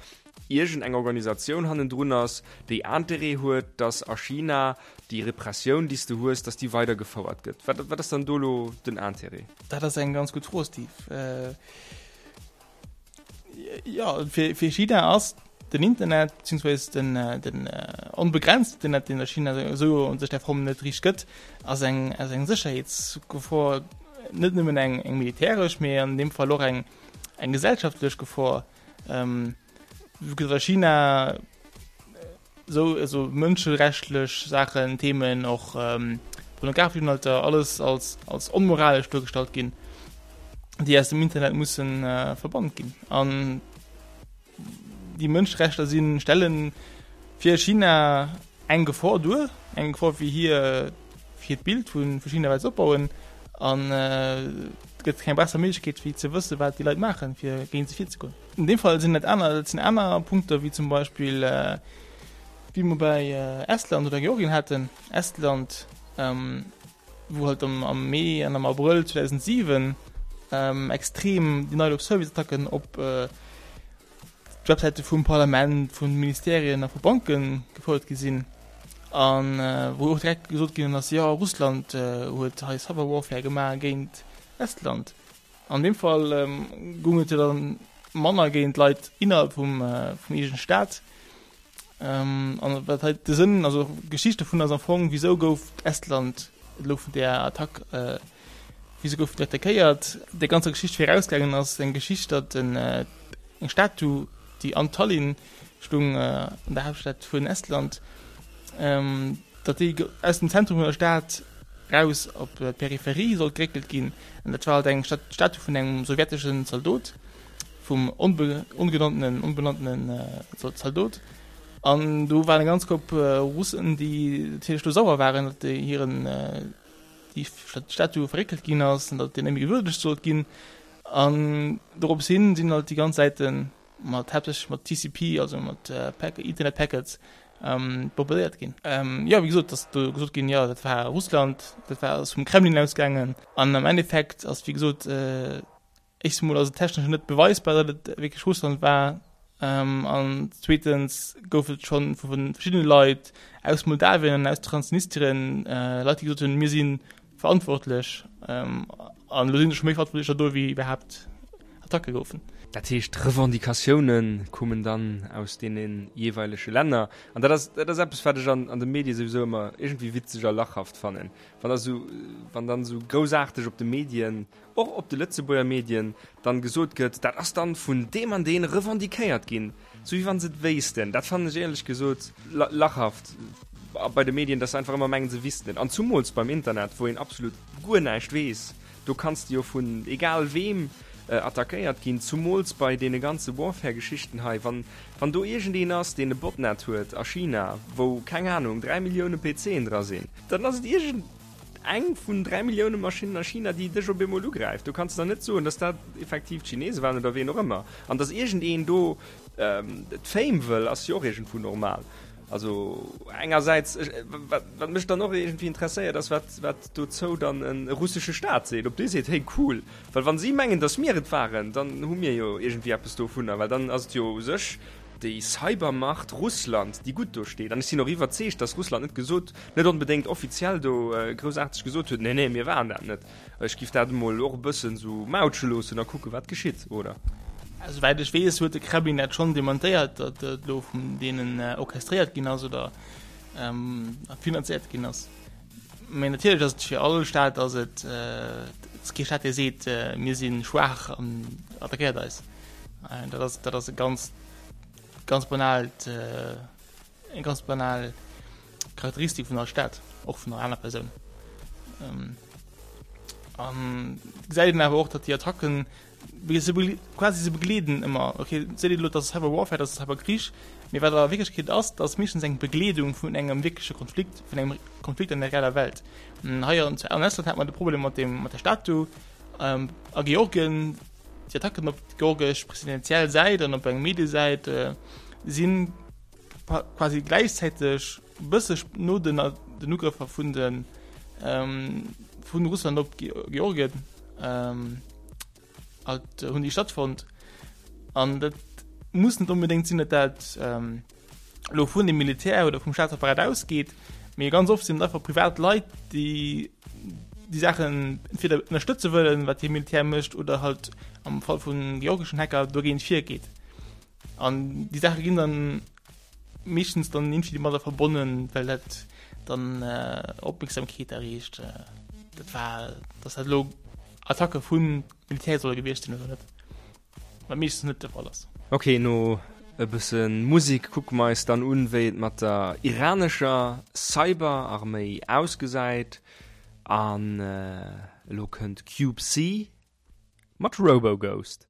iergend eng Organisatioun hannendrun ass, déi Interêt huet, dass a China déi Repressioun, déi s de hues, dass déi weidergefouert gëtt. Wat, wat ass dann do elo den Interêt? Dat ass eng ganz gutt Fro, Steve. Jo, fir, fir China ass den Internet, beziehungsweise den, den onbegrenzten Internet, deen a China esou un sech der Form net riicht gëtt, ass eng, ass eng Sécherheetsgefor, net nëmmen eng, eng militäresch, mee an deem Fall och eng, eng gesellschaftlech Gefor. Vu que a China esou also mënschenrechtlech Saachen, Themen, och pornografesch Inhalter, alles als als onmoralesch duergestallt ginn, déi aus dem Internet mussen verbannt ginn. An déi Mënscherechter sinn, stellen fir China eng Gefor duer, eng Gefor fir hir fir hiert Bild vu vu China wat se opbauen. An et gëtt keng besser Méiglechkeet wéi ze wësse wat déi Leit maachen, fir géint se virzegoen. An deem Fall sinn dat aner, dat sinn aner Punkter wéi zum Beispill wéi mer bei Estland oder Georgien haten. Estland, wou halt am am Mee an am Abrëll 2007 extrem Denial of Service Attacken op d'Websäite vum Parlament, vu Ministerien a vu Banke gefouert gi sinn an wou och direkt gesot ginn ass, jo Russland huet hei Cyber Warfare gemaach géint Estland. An deem Fall goung et jo dann manner géint Leit innerhalb vum vum eegene Staat. An wat hei de Sënn, also d'Geschicht dovun ass am Fong, wisou gouf Estland elo vun där Attack, wisou gouf et attackéiert? Der ganzer Geschicht virausgaangen ass eng Geschicht, datt en eng Statu, déi an Tallinn stung, an der Haaptstad vun Estland, datt déi aus dem Zentrum vun der Stad raus op d'Peripherie sollt geréckelt ginn. An dat war halt eng Statu vun engem sowjeteschen Zaldot, vum ongenanntenen, onbenanntenen Zaldot. An do waren eng ganz Kopp Russen, déi natierlech do sauer waren, datt hiren déi Statu verréckelt ginn ass an datt déi net méi gewürdegt sollt ginn. An dorops hin sinn halt déi ganz Säiten mat haaptsächlech mat TCP, also mat Internet Packets bombardéiert ginn. Jo, wéi gesot, ass do gesot ginn, jo dat war Russland, dat war ass vum Kremlin ausgaangen. An am Endeffekt ass wéi gesot, éischtens emol ass et technesch net beweisbar, datt et wierklech Russland war. An zweetens gouf et scho vu verschiddene Leit aus Moldawien an aus Transnistrien Leit, déi gesot hunn, mir si verantwortlech. An elo sinn der scho méi Verantwortlecher do, wéi iwwerhaapt Attacke goufen. Dat heescht, d'Revendicatioune kommen dann aus deene jeeweilege Länner. An dat ass, dat ass eppes, wat ech an de Medie souwisou ëmmer iergendwéi witzeg a lachhaft fannen, wann da sou, wann dann esou groussaarteg op de Medien, och op de Lëtzebuerger Medien, dann gesot gëtt, dat ass dann vun deem an deen revendiquéiert ginn, sou wéi wann se et wéissten. Dat fannen ech éierlech gesot lachhaft bei de Medien, dass se einfach ëmmer mengen, se wissten et. An zumools beim Internet, wou een absolut guer näischt weess, do kanns de jo vun egal weem attackéiert ginn, zumools bei deene ganze Warfare-Geschichten hei, wann, wann do iergendeen ass, deen e Botnet huet a China, wou, keng Ahnung, 3 Millioune PCen dra sinn, dann ass et iergend. Eng vun 3 Millioune Maschinnen a China, déi dech op eemol ugräift. Do kanns de dann net soen, dass dat effektiv d'Chinese waren oder ween och ëmmer. An dass iergendeen do d'Fame wëll, ass jo och iergendwou normal. Also engersäits, wat mech dann och iergendwéi interesséiert, ass, wat, wat dozou dann e russesche Staat seet. Ob dee seet, hey cool, well wa si mengen, dass mir et waren, dann hu mir jo iergendwéi eppes dovunner, well dann ass et jo u sech déi Cybermacht Russland, déi gutt do steet. An ech sinn och iwwerzeegt, dass Russland net gesot, net onbedéngt offiziell do groussaarteg gesot huet, nee, nee, mir waren dat net. Ech giff dat emol och e bëssen esou mautsche loossen a kucke wat geschitt, oder? Esouwäit ech weess, huet de Kremlin dat schonn dementéiert, datt et elo vun deenen orchestréiert ginn ass oder finanzéiert ginn ass. Mee natierlech ass et fir all Staat ass et, et ass kee Staat, dee seet, mir si schwaach an attackéiert eis. Dat ass, dat ass e ganz, ganz banaalt, eng ganz banal Charakteristik vun all Staat, och vun all aner Persoun. An gesäit een awer och, datt déi Attacken se quasi se begleeden ëmmer, okay, seet een elo, dat ass Cyber Warfare, dat ass Cyberkrich, mee wat a Wierklechkeet ass, dat ass meeschtens eng Begleedung vun engem wierkleche Konflikt, vun engem Konflikt an der reeller Welt. Hei an Estland hat mer de Problem mat dem, mat der Statu, a Georgien, Déi Attacken op d'georgesch presidentiell Säit an op eng Mediesäit si quasi gläichzäiteg e bësse no den den Ugrëffer vun de vun Russland op Georgien halt hunn déi stattfonnt. An dat muss net onbedéngt sinn, datt dat elo vun dem Militär oder vum Staatsapparat ausgeet, mee ganz oft sinn et einfach privat Leit, déi déi Saachen entweder ënnerstëtze wëllen, wat hir Militär mécht, oder halt am Fall vun georgeschen Hacker dogéint virgeet. An déi Saache ginn dann meeschtens dann irgendwie domadder verbonnen, well dat dann Opmierksamkeet erreecht. Dat war, dass dat elo Attacke vum Militär solle gewiescht sinn oder net. Wat meeschtens net de Fall ass. Ok, no. E bësse Musik kucke mer eis dann un, wéi et mat der iranescher Cyberarméi ausgesäit. An elo kënnt Cube C mat Roboghost.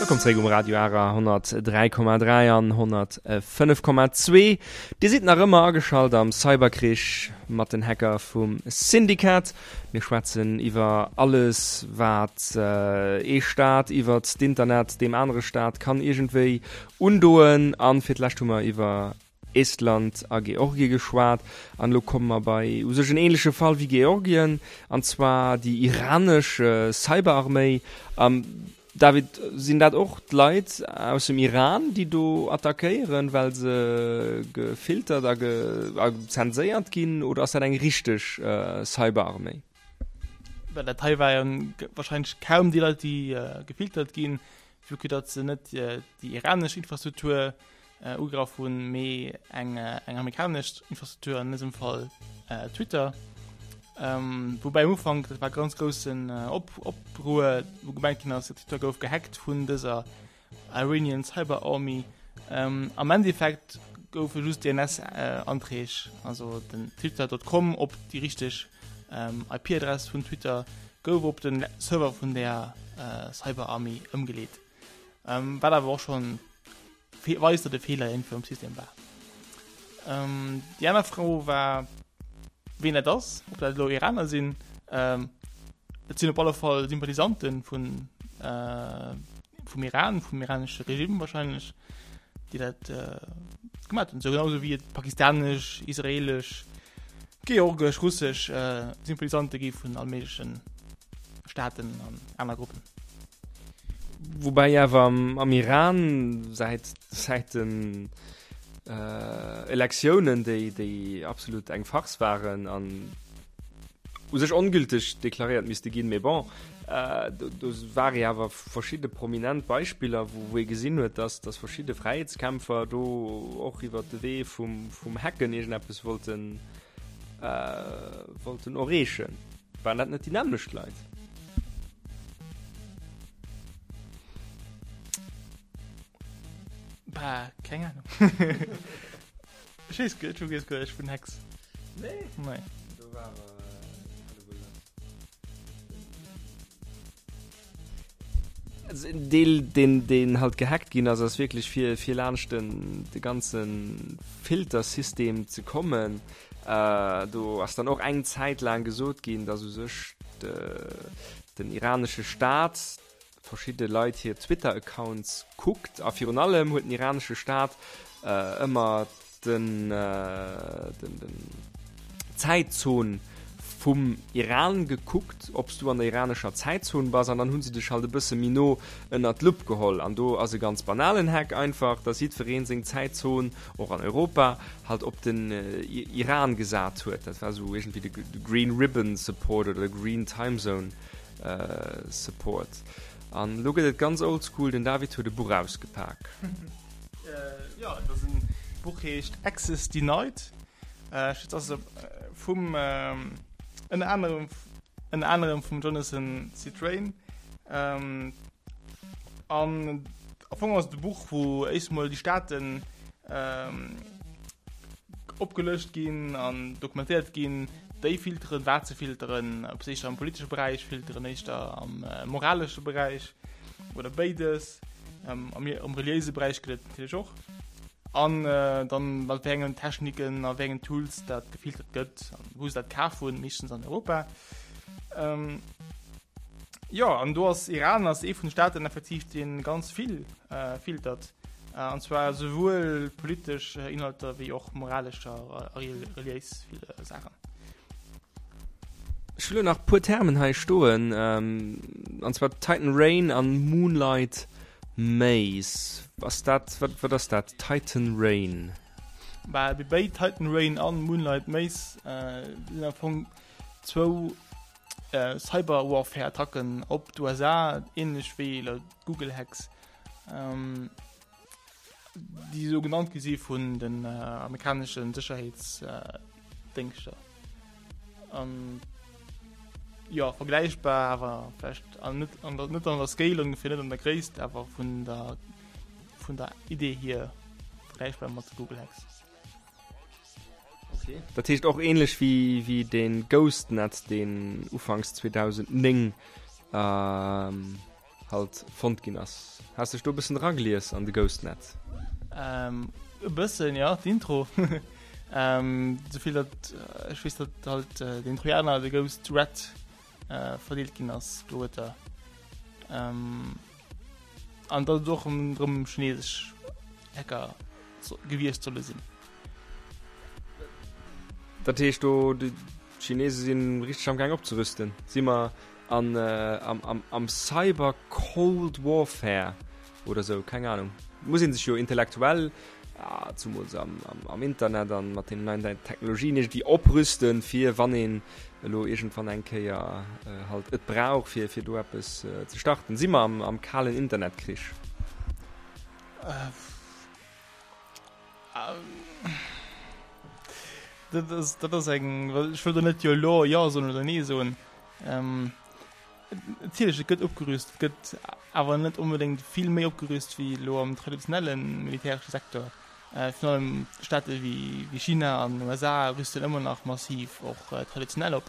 Wëllkomm zeréck um Radio Ara 103,3 an 105,2. Dir sidd nach ëmmer ageschalt am Cyberkrich mat den Hacker vum Syndikat. Mir schwätzen iwwer alles, wat ee Staat iwwert d'Internet deem anere Staat kann iergendwéi undoen. An fir d'lescht hu mer iwwer Estland a Georgie geschwat. An elo komme mer bei u sech en ähnleche Fall wéi Georgien, an zwar déi iranesch Cyberarméi. David, sinn dat och d'Leit aus dem Iran, déi do attackéieren, well se gefiltert a zenséiert ginn, oder ass dat eng richteg Cyberarméi? Well dat hei war jo wahrscheinlech kaum déi Leit, déi gefiltert ginn, vue que datt se net déi iranesch Infrastruktur ugegraff hunn, mee eng amerikanesch Infrastruktur, an dësem Fall Twitter. Woubäi am Ufank, dat war ganz groussen Opruer, wou gemengt ginn ass, Twitter gouf gehackt vun dëser Iranian Cyber Army. Am Endeffekt goufe just DNS-Anträg, also den Twitter.com op déi richteg IP-Adress vun Twitter gouf op den Server vun der Cyber Army ëmgeleet. Wat awer och schonn weist, datt e Feeler iergendwou am System war. Déi aner Fro war, ween dat ass, ob dat elo Iraner sinn. Et sinn op alle Fall Sympathisante vun vum Iran, vum iranesche Regime wahrscheinlech, déi dat gemaach hunn. Sou genau sou wéi et pakistanesch, israelesch. Georgesch, russesch Sympathisante gi vun all méigleche Staaten an aner Gruppen. Woubäi awer am Iran säit säit den Elektiounen, déi déi absolut eng Farce waren an u sech ongülteg deklaréiert misste ginn, mee bon, do ware jo awer verschidde prominent Beispiller, wou ee gesinn huet, datt datt verschidde Fräiheetskämpfer do och iwwer de Wee vum vum Hacken iergendeppes wollten wollten erreechen. Waren dat net déi nämmlecht Leit? Bah, keng Ahnung. Ech weess guer, ech weess guer näischt vun Hacks. Nee? Nee. Do war awer, Also en Deel, deen, deen halt gehackt ginn ass, ass wierklech fir, fir laanscht den, de ganze Filtersystem ze kommen. Äh, do ass dann och eng Zäit laang gesot ginn, datt u sech de, den iranesche Staat verschidde Leit hir Twitter-Accounts kuckt. A virun allem huet den iranesche Staat äh, ëmmer den, den, den Zäitzon vum Iran gekuckt, ob s du an der iranescher Zäitzon bass, an dann hu se dech halt e bësse méi no ënnert d'Lupp geholl. An do ass e ganz banalen Hack einfach, dass jiddweree seng Zäitzon, och an Europa, halt op den Iran gesat huet. Dat war esou iergendwéi de Green Ribbon Support oder de Green Time Zone Support. An elo gëtt et ganz oldschool, den David huet e Buch ausgepak. Jo, et ass en Buch heescht Access Denied. Et ass vum ënner anerem ënner anerem vum Jonathan Zittrain. An am Fong ass et e Buch, wou éischt mol déi Staaten opgelëscht ginn an dokumentéiert ginn, déi filteren, wat se filteren, ob se éischter am politesche Beräich filteren, éischter am moralesche Beräich oder béides. Am, am reliéise Beräich gëtt et natierlech och. An dann mat wéi engen Techniken a wéi engen Tools dat gefiltert gëtt an wou se dat kaf hunn, meeschtens an Europa. Ähm, jo, an do ass Iran ass ee vun de Staaten effektiv, dee ganz vill äh, filtert. Äh, an zwar souwuel politesch Inhalter wéi och moralescher a reliéis Saachen. Ech hu lo nach puer Termen hei stoen, an zwar Titan Rain an Moonlight Maze. Ass dat, wat, wat ass dat, Titan Rain? Bah, déi béid, Titan Rain an Moonlight Maze, sinn am Fong zwou Cyber-Warfare-Attacken op d'USA, ähnlech wéi elo d'Google Hacks. Déi esou genannt gi si vun den amerikanesche Sécherheetsdéngschter. An jo, vergläichbar, awer vläicht an net an der, net an der Scale ongeféier, net an der Gréisst, awer vun der, vun der Idee hier vergläichbar mat de Google Hacks. Okay. Dat heescht och ähnlech wéi, wéi den Ghostnet, deen ufanks 2009 ähm, halt fonnt ginn ass. Has dech do e bëssen eragelies an de Ghostnet? Ähm, e bëssen, ja, d'Intro. ähm, souvill datt ech weess, datt halt äh, den Trojaner, de Ghost Rat, äh, verdeelt ginn ass do huet er. Ähm, an datt et och ëm drëm chinesesch Hacker gewiescht solle sinn. Dat heescht do, déi Chinese sinn richteg am Gaang opzerüsten. Si mer an am am Cyber Cold Warfare oder sou, keng Ahnung. Muss een sech jo intellektuell, zumools am am Internet an mat den neien Technologien iergendwéi oprüsten, fir wann een elo iergendwann eng Kéier halt et brauch, fir fir do eppes ze starten. Si mer am am kalen Internetkrich? Dat ass, dat ass eng, well ech wëll do net jo elo jo soen oder nee soen. Ähm, natierlech, et gëtt opgerüst, et gëtt awer net onbedéngt vill méi opgerüst wéi elo am traditionelle militäresche Secteur. Äh, virun allem Staate wéi, wéi China an USA rüsten ëmmer nach massiv och traditionell op.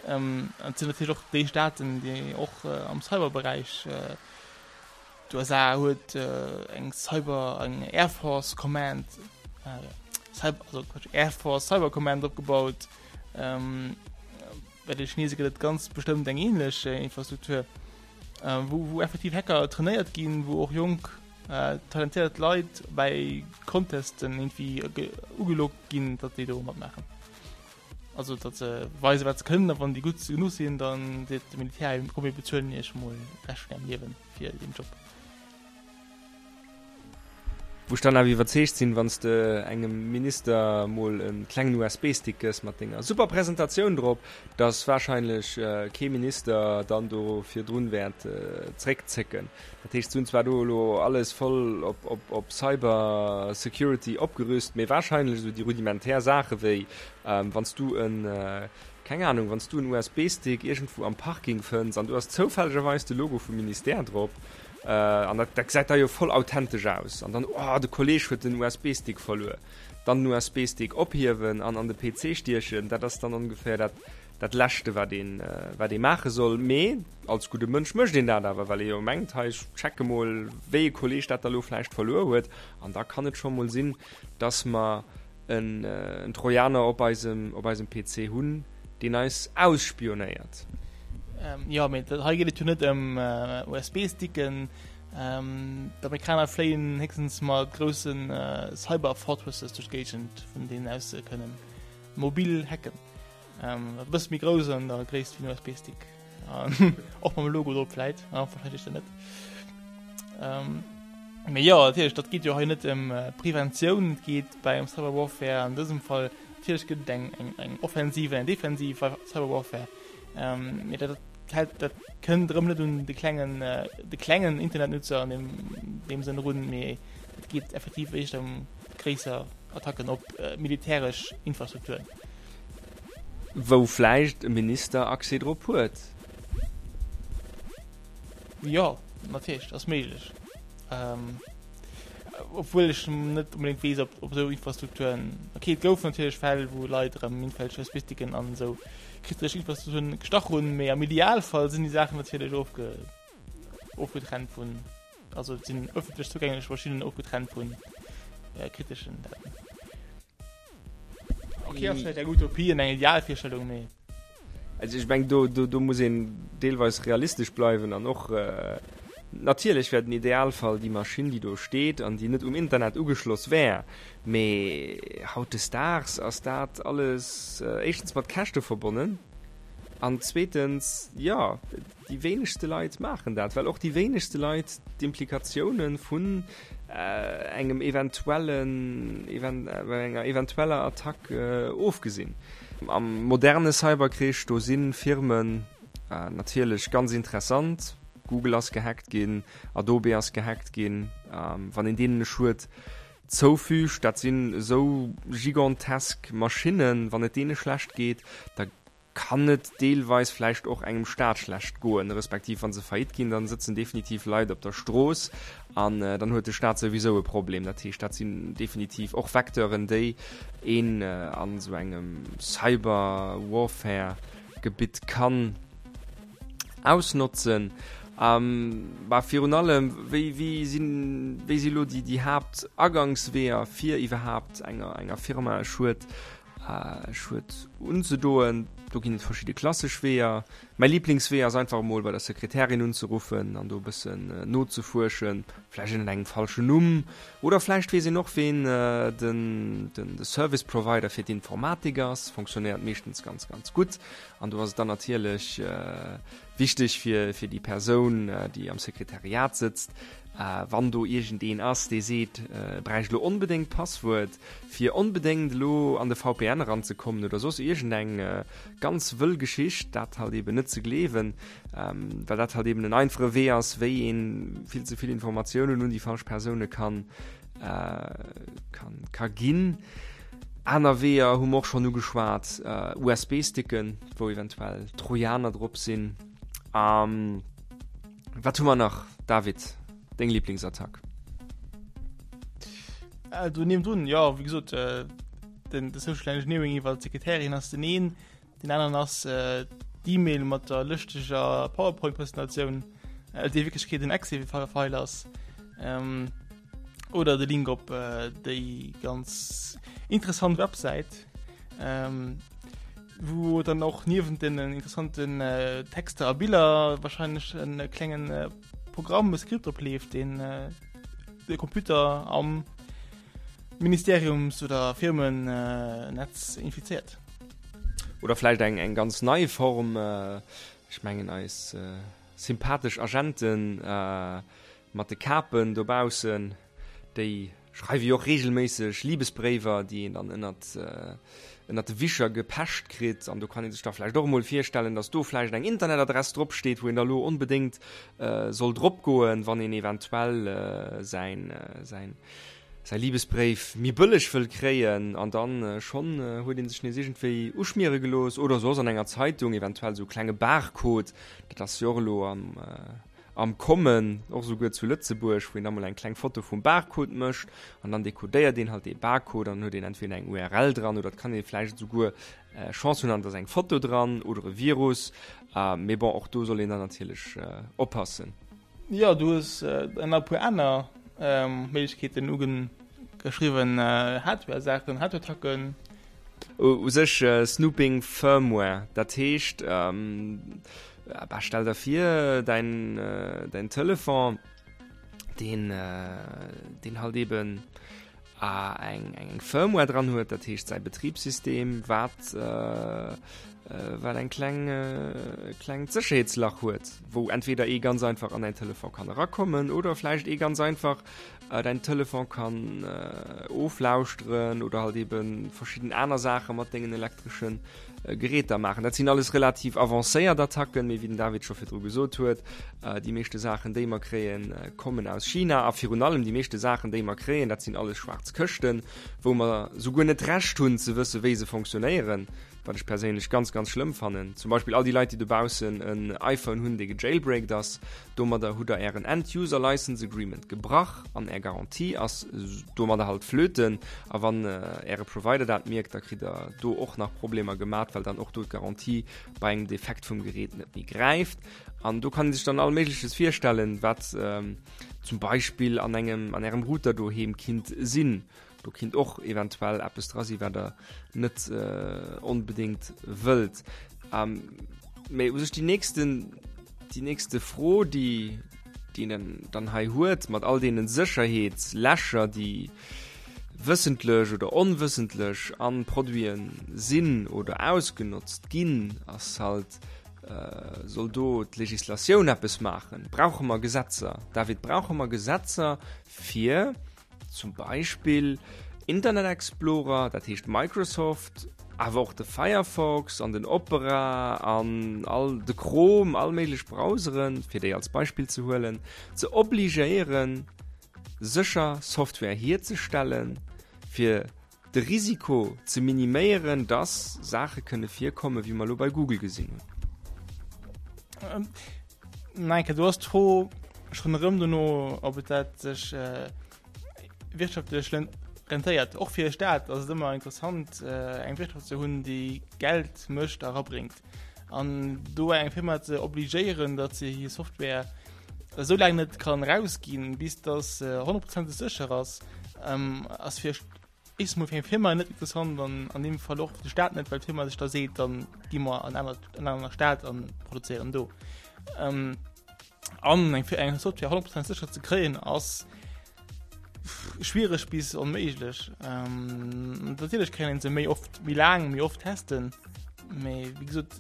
Ähm, an et sinn natierlech och déi Staaten, déi och am Cyberberäich, D'USA huet eng Cyber, eng Air Force Command, Cyber, also Quatsch, Air Force Cyber Command opgebaut. Ähm, bei de Chinese gëtt et ganz bestëmmt eng ähnlech Infrastruktur, äh, wou, wou effektiv Hacker trainéiert ginn, wou och jonk äh, talentéiert Leit bei Contesten irgendwie ugelockt ginn, datt déi do matmaachen. Also datt se weisen, wat se kënnen, a wann déi gutt genuch sinn, dann seet de Militär, komm mir bezuelen iech mol de Rescht vun ärem Liewen fir deen Job. Wou ech dann awer iwwerzeegt sinn, wann s de engem Minister mol e klengen USB-Stick gëss mat denger super Presentatioun drop, dass wahrscheinlech kee Minister dann do virdrun wäert zréckzécken. Dat heescht, se hunn zwar do elo alles voll op Cyber Security opgerüst, mee wahrscheinlech esou déi rudimentär Saache wéi wann s du en, keng Ahnung, wann s du en USB-Stick iergendwou am Parking fënns an do ass zoufällegerweis de Logo vum Ministère drop, An dat gesäit da jo voll authentesch aus. An dann, oh, de Kolleg huet den USB-Stick verluer. Dann den USB-Stick ophiewen an an de PC stiechen, dat ass dann ongeféier dat, dat Leschte, wat een, wat ee maache soll. Mee als gudde Mënsch mécht een dat awer, well ee jo mengt, hei, ech checke mol, wéi e Kolleg dat da lo vläicht verluer huet. An da kann et scho mol sinn, dass mer en Trojaner op eisem, op eisem PC hunn, deen eis ausspionéiert. Jo, mee hei geet et jo net ëm USB-Sticken. D'Amerikaner fléien héchstens mat grousse Cyber-Fortresses duerch d'Géigend, vun deenen aus se kënnen mobil hacken. E bësse méi grouss an der Gréisst wéi en USB-Stick. Och mam Logo drop vläit, wahrscheinlech dann net. Mee jo, natierlech, dat geet jo hei net ëm Preventioun, et geet bei engem Cyber Warfare an dësem Fall, natierlech gëtt et eng, eng, eng Offensiv an eng Defensiv bei Cyber Warfare, mee dat hält, dat kënnt erëm net un de klengen, de klengen Internetnutzer an deem, deem Sënn erun, mee et geet effektiv éischter ëm gréisser Attacken op militäresch Infrastrukturen. Wou vläicht e Minister Accès drop huet. Jo, natierlech, ass méiglech. Obwuel ech net onbedéngt weess, ob op esou Infrastrukturen. Okay, et goufen natierlech Fäll, wou Leit erëm irgendwelch USB-Sticken an esou kritesch Infrastrukturen gestach hunn, mee am Idealfall sinn déi Saachen natierlech ofge ofgetrennt vun, also et sinn ëffentlech zougänglech Maschinnen ofgetrennt vu kriteschen Daten. Okay, ass vläicht eng Utopie an eng Idealvirstellung, mee. Also ech meng, do, do, do muss een deelweis realistesch bleiwen an och natierlech wär den Idealfall déi Maschinn, déi do steet an déi net um Internet ugeschloss wär. Mee hautdesdaags ass dat alles éischtens mat Käschte verbonnen an zweetens, jo, Déi wéinegste Leit maachen dat, well och déi wéinegste Leit d'Implikatiounen vun engem eventuellen, enger eventueller Attack ofgesinn. Am moderne Cyberkrich, do si Firmen natierlech ganz interessant. Google ass gehackt ginn, Adobe ass gehackt ginn. Wann een deenen e Schued zoufügt, dat sinn esou gigantesk Maschinnen, wann et deene schlecht geet, da kann et deelweis vläicht och engem Staat schlecht goen, respektiv wa se faillite ginn, dann sëtzen definitiv Leit op der Strooss an dann huet de Staat souwisou e Problem. Dat heescht, dat sinn definitiv och Vecteuren, déi een an esou engem Cyber-Warfare-Gebitt kann ausnotzen. Bah, virun allem, wéi, wéi sinn, wéi si lo déi, déi Haaptagangsweeër fir iwwerhaapt enger, enger Firma e Schued Schued unzedoen. Do ginn et verschidde klassesch Weeër. Mäi Liblingswee ass einfach emol bei der Sekretärin unzeruffen an do e bëssen nozefuerschen, vläicht ënnert engem falschen Numm oder vläicht weess een och ween den de Service Provider fir d'Informatik ass. Fonctionnéiert meeschtens ganz ganz gutt an do ass et dann natierlech wichteg fir fir déi Persoun déi am Sekretariat sëtzt, wann do iergendeen ass dee seet e bräicht elo onbedéngt d'Passwuert, fir onbedéngt elo an de VPN eranzekommen oder soss iergendeng ganz wëll Geschicht, dat halt eben net ze gleewen, well dat halt eben en einfache Wee ass, wéi een vill ze vill Informatiounen un déi falsch Persoune kann, kann, ka ginn. Aner Weeër hu mer och schonn ugeschwat, USB-Sticken, wou eventuell Trojaner drop sinn. Wat hu mer nach, David? Deng Lieblingsattack? Äh, do niewendrun, jo, wéi gesot, äh, den, de Social Engineering iwwer d'Sekretärin ass den een, den aneren ass äh, d'E-Mail mat der lëschteger PowerPoint-Presentatioun, äh, déi Wierklechkeet en Excel-File ass. Ähm, oder de Link op äh, déi ganz interessant Websäit, ähm, wou dann och niewent den interessanten äh, Texter a Biller wahrscheinlech en klengen äh, Programm, e Skript opleeft, deen de Computer am Ministeriums oder Firmennetz infizéiert. Oder vläicht eng eng ganz nei Form, ech mengen eis sympathesch Agenten mat de Kapen dobaussen, déi schreiwe jo och reegelméisseg Libesbréiwer, déi een dann ënnert ënnert de Wischer gepecht kritt. An do kann ee sech da vläicht och emol virstellen, datt do vläicht eng Internetadress dropsteet, wou een da lo onbedéngt soll dropgoen, wann een eventuell säin säin säi Libesbréif méi bëlleg wëll kréien an dann schonn huet een sech nees iergendwéi uschmiere gelooss oder soss an enger Zeitung eventuell esou e klenge Barcode, dat ass jo och elo am am Kommen, och esouguer zu Lëtzebuerg, wou een da mol eng kleng Foto vum Barcode mécht an dann dekodéiert een halt dee Barcode an dann huet een entweder eng URL dran oder et kann ee vläicht esouguer Chance hunn an et ass eng Foto dran oder e Virus, mee bon, och do soll een dann natierlech oppassen. Jo, du hues nach e puer aner Méiglechkeeten ugeschriwwen, Hardware-Saachen, Hardware-Attacken. U sech Snooping Firmware, dat heescht, bah, stell der vir, däin, däin Telefon, deen, deen halt eben eng eng Firmware dran huet, dat heescht säi Betribssystem, wat wat eng kleng klengt Sécherheetslach huet, wou entweder ee ganz einfach an däin Telefon kann erakommen oder vläicht ee ganz einfach däin Telefon kann oflauschteren oder halt eben verschidden aner Saache mat dengen elektreschen Geräter maachen. Dat sinn alles relativ avancéiert Attacken, mee wéi den David scho virdru gesot huet, déi meeschte Saachen, déi mer kréien, kommen aus China a virun allem déi meeschte Saachen, déi mer kréien, dat sinn alles schwaarz Këschten, wou mer souguer net d'Recht hunn ze wësse wéi se fonctionnéieren, wat ech perséinlech ganz, ganz schlëmm fannen. Zum Beispill all déi Leit, déi dobaussen en iPhone hunn, dee gejailbreakt ass, Domadder hutt der ären End-User License Agreement gebrach an är Garantie ass domadder halt flöten. A wann äre Provider dat mierkt, da kritt der do och nach Problemer gemat, well dann och do d'Garantie bei engem Defekt vum Gerät net méi gräift. An do kann ee sech dann all Méigleches virstellen, wat zum Beispill an engem, an ärem Router doheem kinnt sinn. Do kinnt och eventuell eppes dra sinn, wat der net onbedéngt wëllt. Mee u sech déi nächsten, déi nächste Fro, déi, déi een dann hei huet, mat all deene Sécherheetslächer, déi wëssentlech oder onwëssentlech a Produite sinn oder ausgenotzt ginn, ass halt, Soll do d'Legislatioun eppes maachen? Brauche mer Gesetzer? David, brauche mer Gesetzer, fir Zum Beispill Internet Explorer, dat heescht Microsoft, awer och de Firefox an den Opera an all de Chrome, all méiglech Browseren, fir déi als Beispill ze huelen, ze obligéieren, sécher Software hierzestellen, fir de Risiko ze miniméieren, dass Saache kënne virkommen, wéi mer elo bei Google gesinn hunn. Nein, do ass d'Fro schonn erëm dono, ob et dat sech wirtschaftlech rentéiert. Och fir e Staat ass et ëmmer interessant, eng Wirtschaft ze hunn, déi Geld mécht a erabréngt. An do eng Firma ze obligéieren, datt se hir Software esou laang net kann erausginn, bis datt se honnertprozenteg sécher ass, ass fir éischtens mol fir eng Firma net interessant an an deem Fall och fir de Staat net, well d'Firma sech da seet, dann gi mer an aner an aner Staat an produzéieren do. Ähm, an eng fir eng Software 100% sécher ze kréien ass schwiereg bis onméiglech. Ähm, natierlech kann een se méi oft méi laang méi oft testen, mee wéi gesot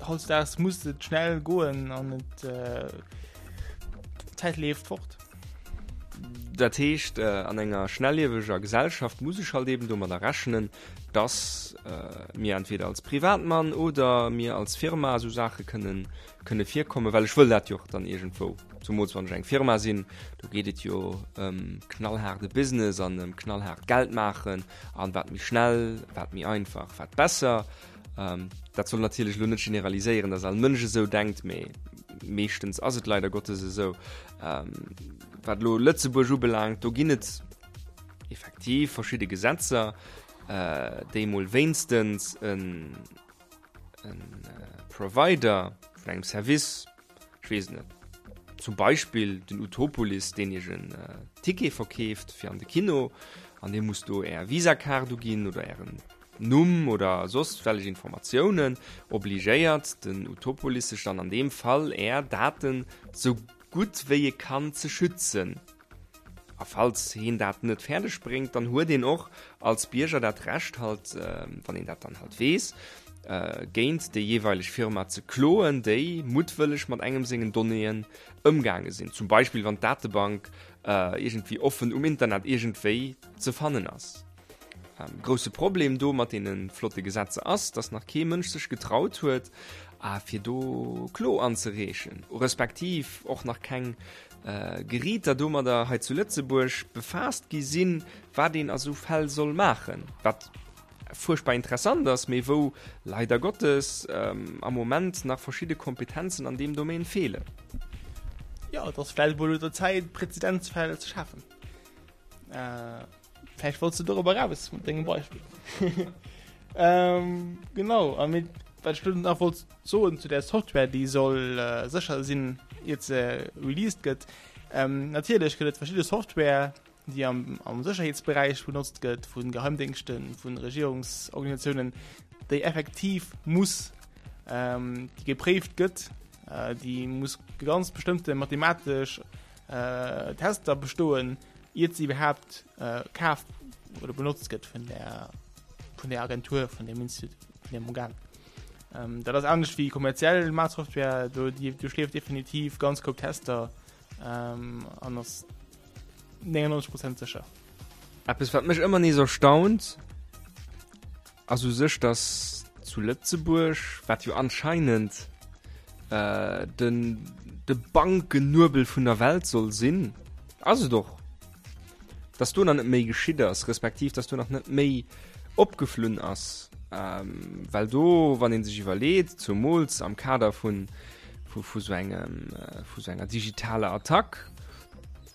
hautdesdaags muss et schnell goen an et äh, d'Zäit leeft fort. Dat heescht, an enger schnellieweger Gesellschaft muss ech halt eben domadder rechnen, dass mir entweder als Privatmann oder mir als Firma esou Saache kënnen, kënne virkommen, well ech wëll dat jo och dann iergendwou, zumools wann ech eng Firma sinn, do geet et jo ëm knallhaarde Business an ëm knallhaart Geld maachen an wat méi schnell, wat méi einfach, wat besser. Dat soll natierlech elo net generaliséieren, dass all Mënsch esou denkt, mee meeschtens ass et leider Gottes esou. Wat elo Lëtzebuerg ubelaangt, do ginn et effektiv verschidde Gesetzer, déi mol wéinstens en Provider vun engem Service, ech weess et net, zum Beispill den Utopolis, deen iech en Ticket verkeeft fir an de Kino an dir musst do är Visa-Kaart uginn oder ären Numm oder soss wellech Informatiounen, obligéiert den Utopolis sech dann an deem Fall är Daten sou gutt wéi e kann ze schützen. A falls heen dat net fäerdeg bréngt, dann huet een och als Bierger dat Recht halt, wann een dat dann halt weess, géint déi jeeweileg Firma ze kloen, déi muttwëlleg mat engem sengen Donnéeën ëmgaange sinn. Zum Beispill wann d'Datebank iergendwéi offen um Internet iergendwéi ze fannen ass. Grousse Problem do mat deene flotte Gesetzer ass, dass nach kee Mënsch sech getraut huet, fir do Klo anzereechen, respektiv och nach keng Geriiter domadder hei zu Lëtzebuerg befaasst gi sinn, wat een a sou Fäll soll maachen, wat fuerchtbar interessant ass, mee wou leider Gottes am Moment nach verschidde Kompetenzen an deem Domaine feelen. Jo, et ass vläicht emol un der Zäit, Prezedenzfäll ze schafen. Vläicht wollts de dorobber eraus mat dengem Beispill. Genau, a mee wat ech elo nach wollt soen zu där Software, déi soll sécher sinn, iert se released gëtt, Natierlech gëtt et verschidde Software, déi am, am Sécherheetsberäich benotzt gëtt, vu Geheimdéngschten, vu Regierungsorganisatiounen, déi effektiv muss, déi gepréift gëtt, déi muss ganz bestëmmte mathematesch Tester bestoen, iert se iwwerhaapt kaf oder benotzt gëtt vun der, vun der Agentur, vun dem Institut, vun dem Organ. Ähm, dat ass anescht wéi kommerziell Maatsoftware, do déi duerchleeft definitiv ganz koup Tester ähm, an ass 99 Prozent sécher. Eppes wat mech ëmmer nees erstaunt, Ass u sech, dass zu Lëtzebuerg, wat jo anscheinend den de Bankennuebel vun der Welt soll sinn, ass et och, dass do nach net méi geschitt ass, respektiv dass do nach net méi opgeflunn ass. Well do, wann ee sech iwwerleet, zumools am Kader vun vu sou engem vu sou enger digitaler Attack,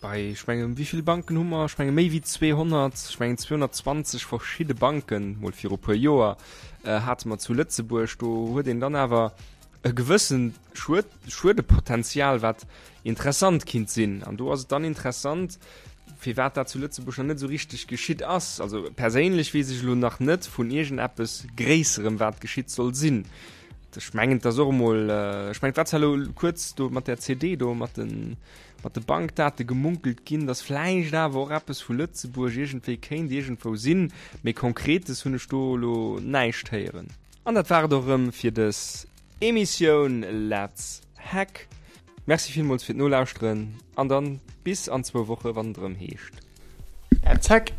Bei, ech mengen, wéi vill Banken hu mer? Ech menge méi wéi 200, ech mengen 220 verschidde Banken, mol viru puer Joer, hate mer zu Lëtzebuerg. Do huet een dann awer e gewëssen Schued, Schuedepotenzial, wat interessant kinnt sinn. An do ass et dann interessant, firwat dat zu Lëtzebuerg nach net esou richteg geschitt ass. Also perséinlech weess ech elo nach net vun iergendeppes Gréisserem, wat geschitt soll sinn. Ech mengen, et ass och emol, ech mengen, et war zwar elo kuerz do mat där CD do, mat den, mat de Bankdate gemunkelt ginn, dass vläicht awer och eppes vu Lëtzebuerg iergendwéi kéint iergendwou sinn, mee Konkretes hunn ech do elo näischt héieren. An dat war et och erëm fir dës Emissioun Let's Hack. Merci villmools fir d'Nolauschteren an dann bis an zwou Woche wann et erëm heescht. Let's Hack!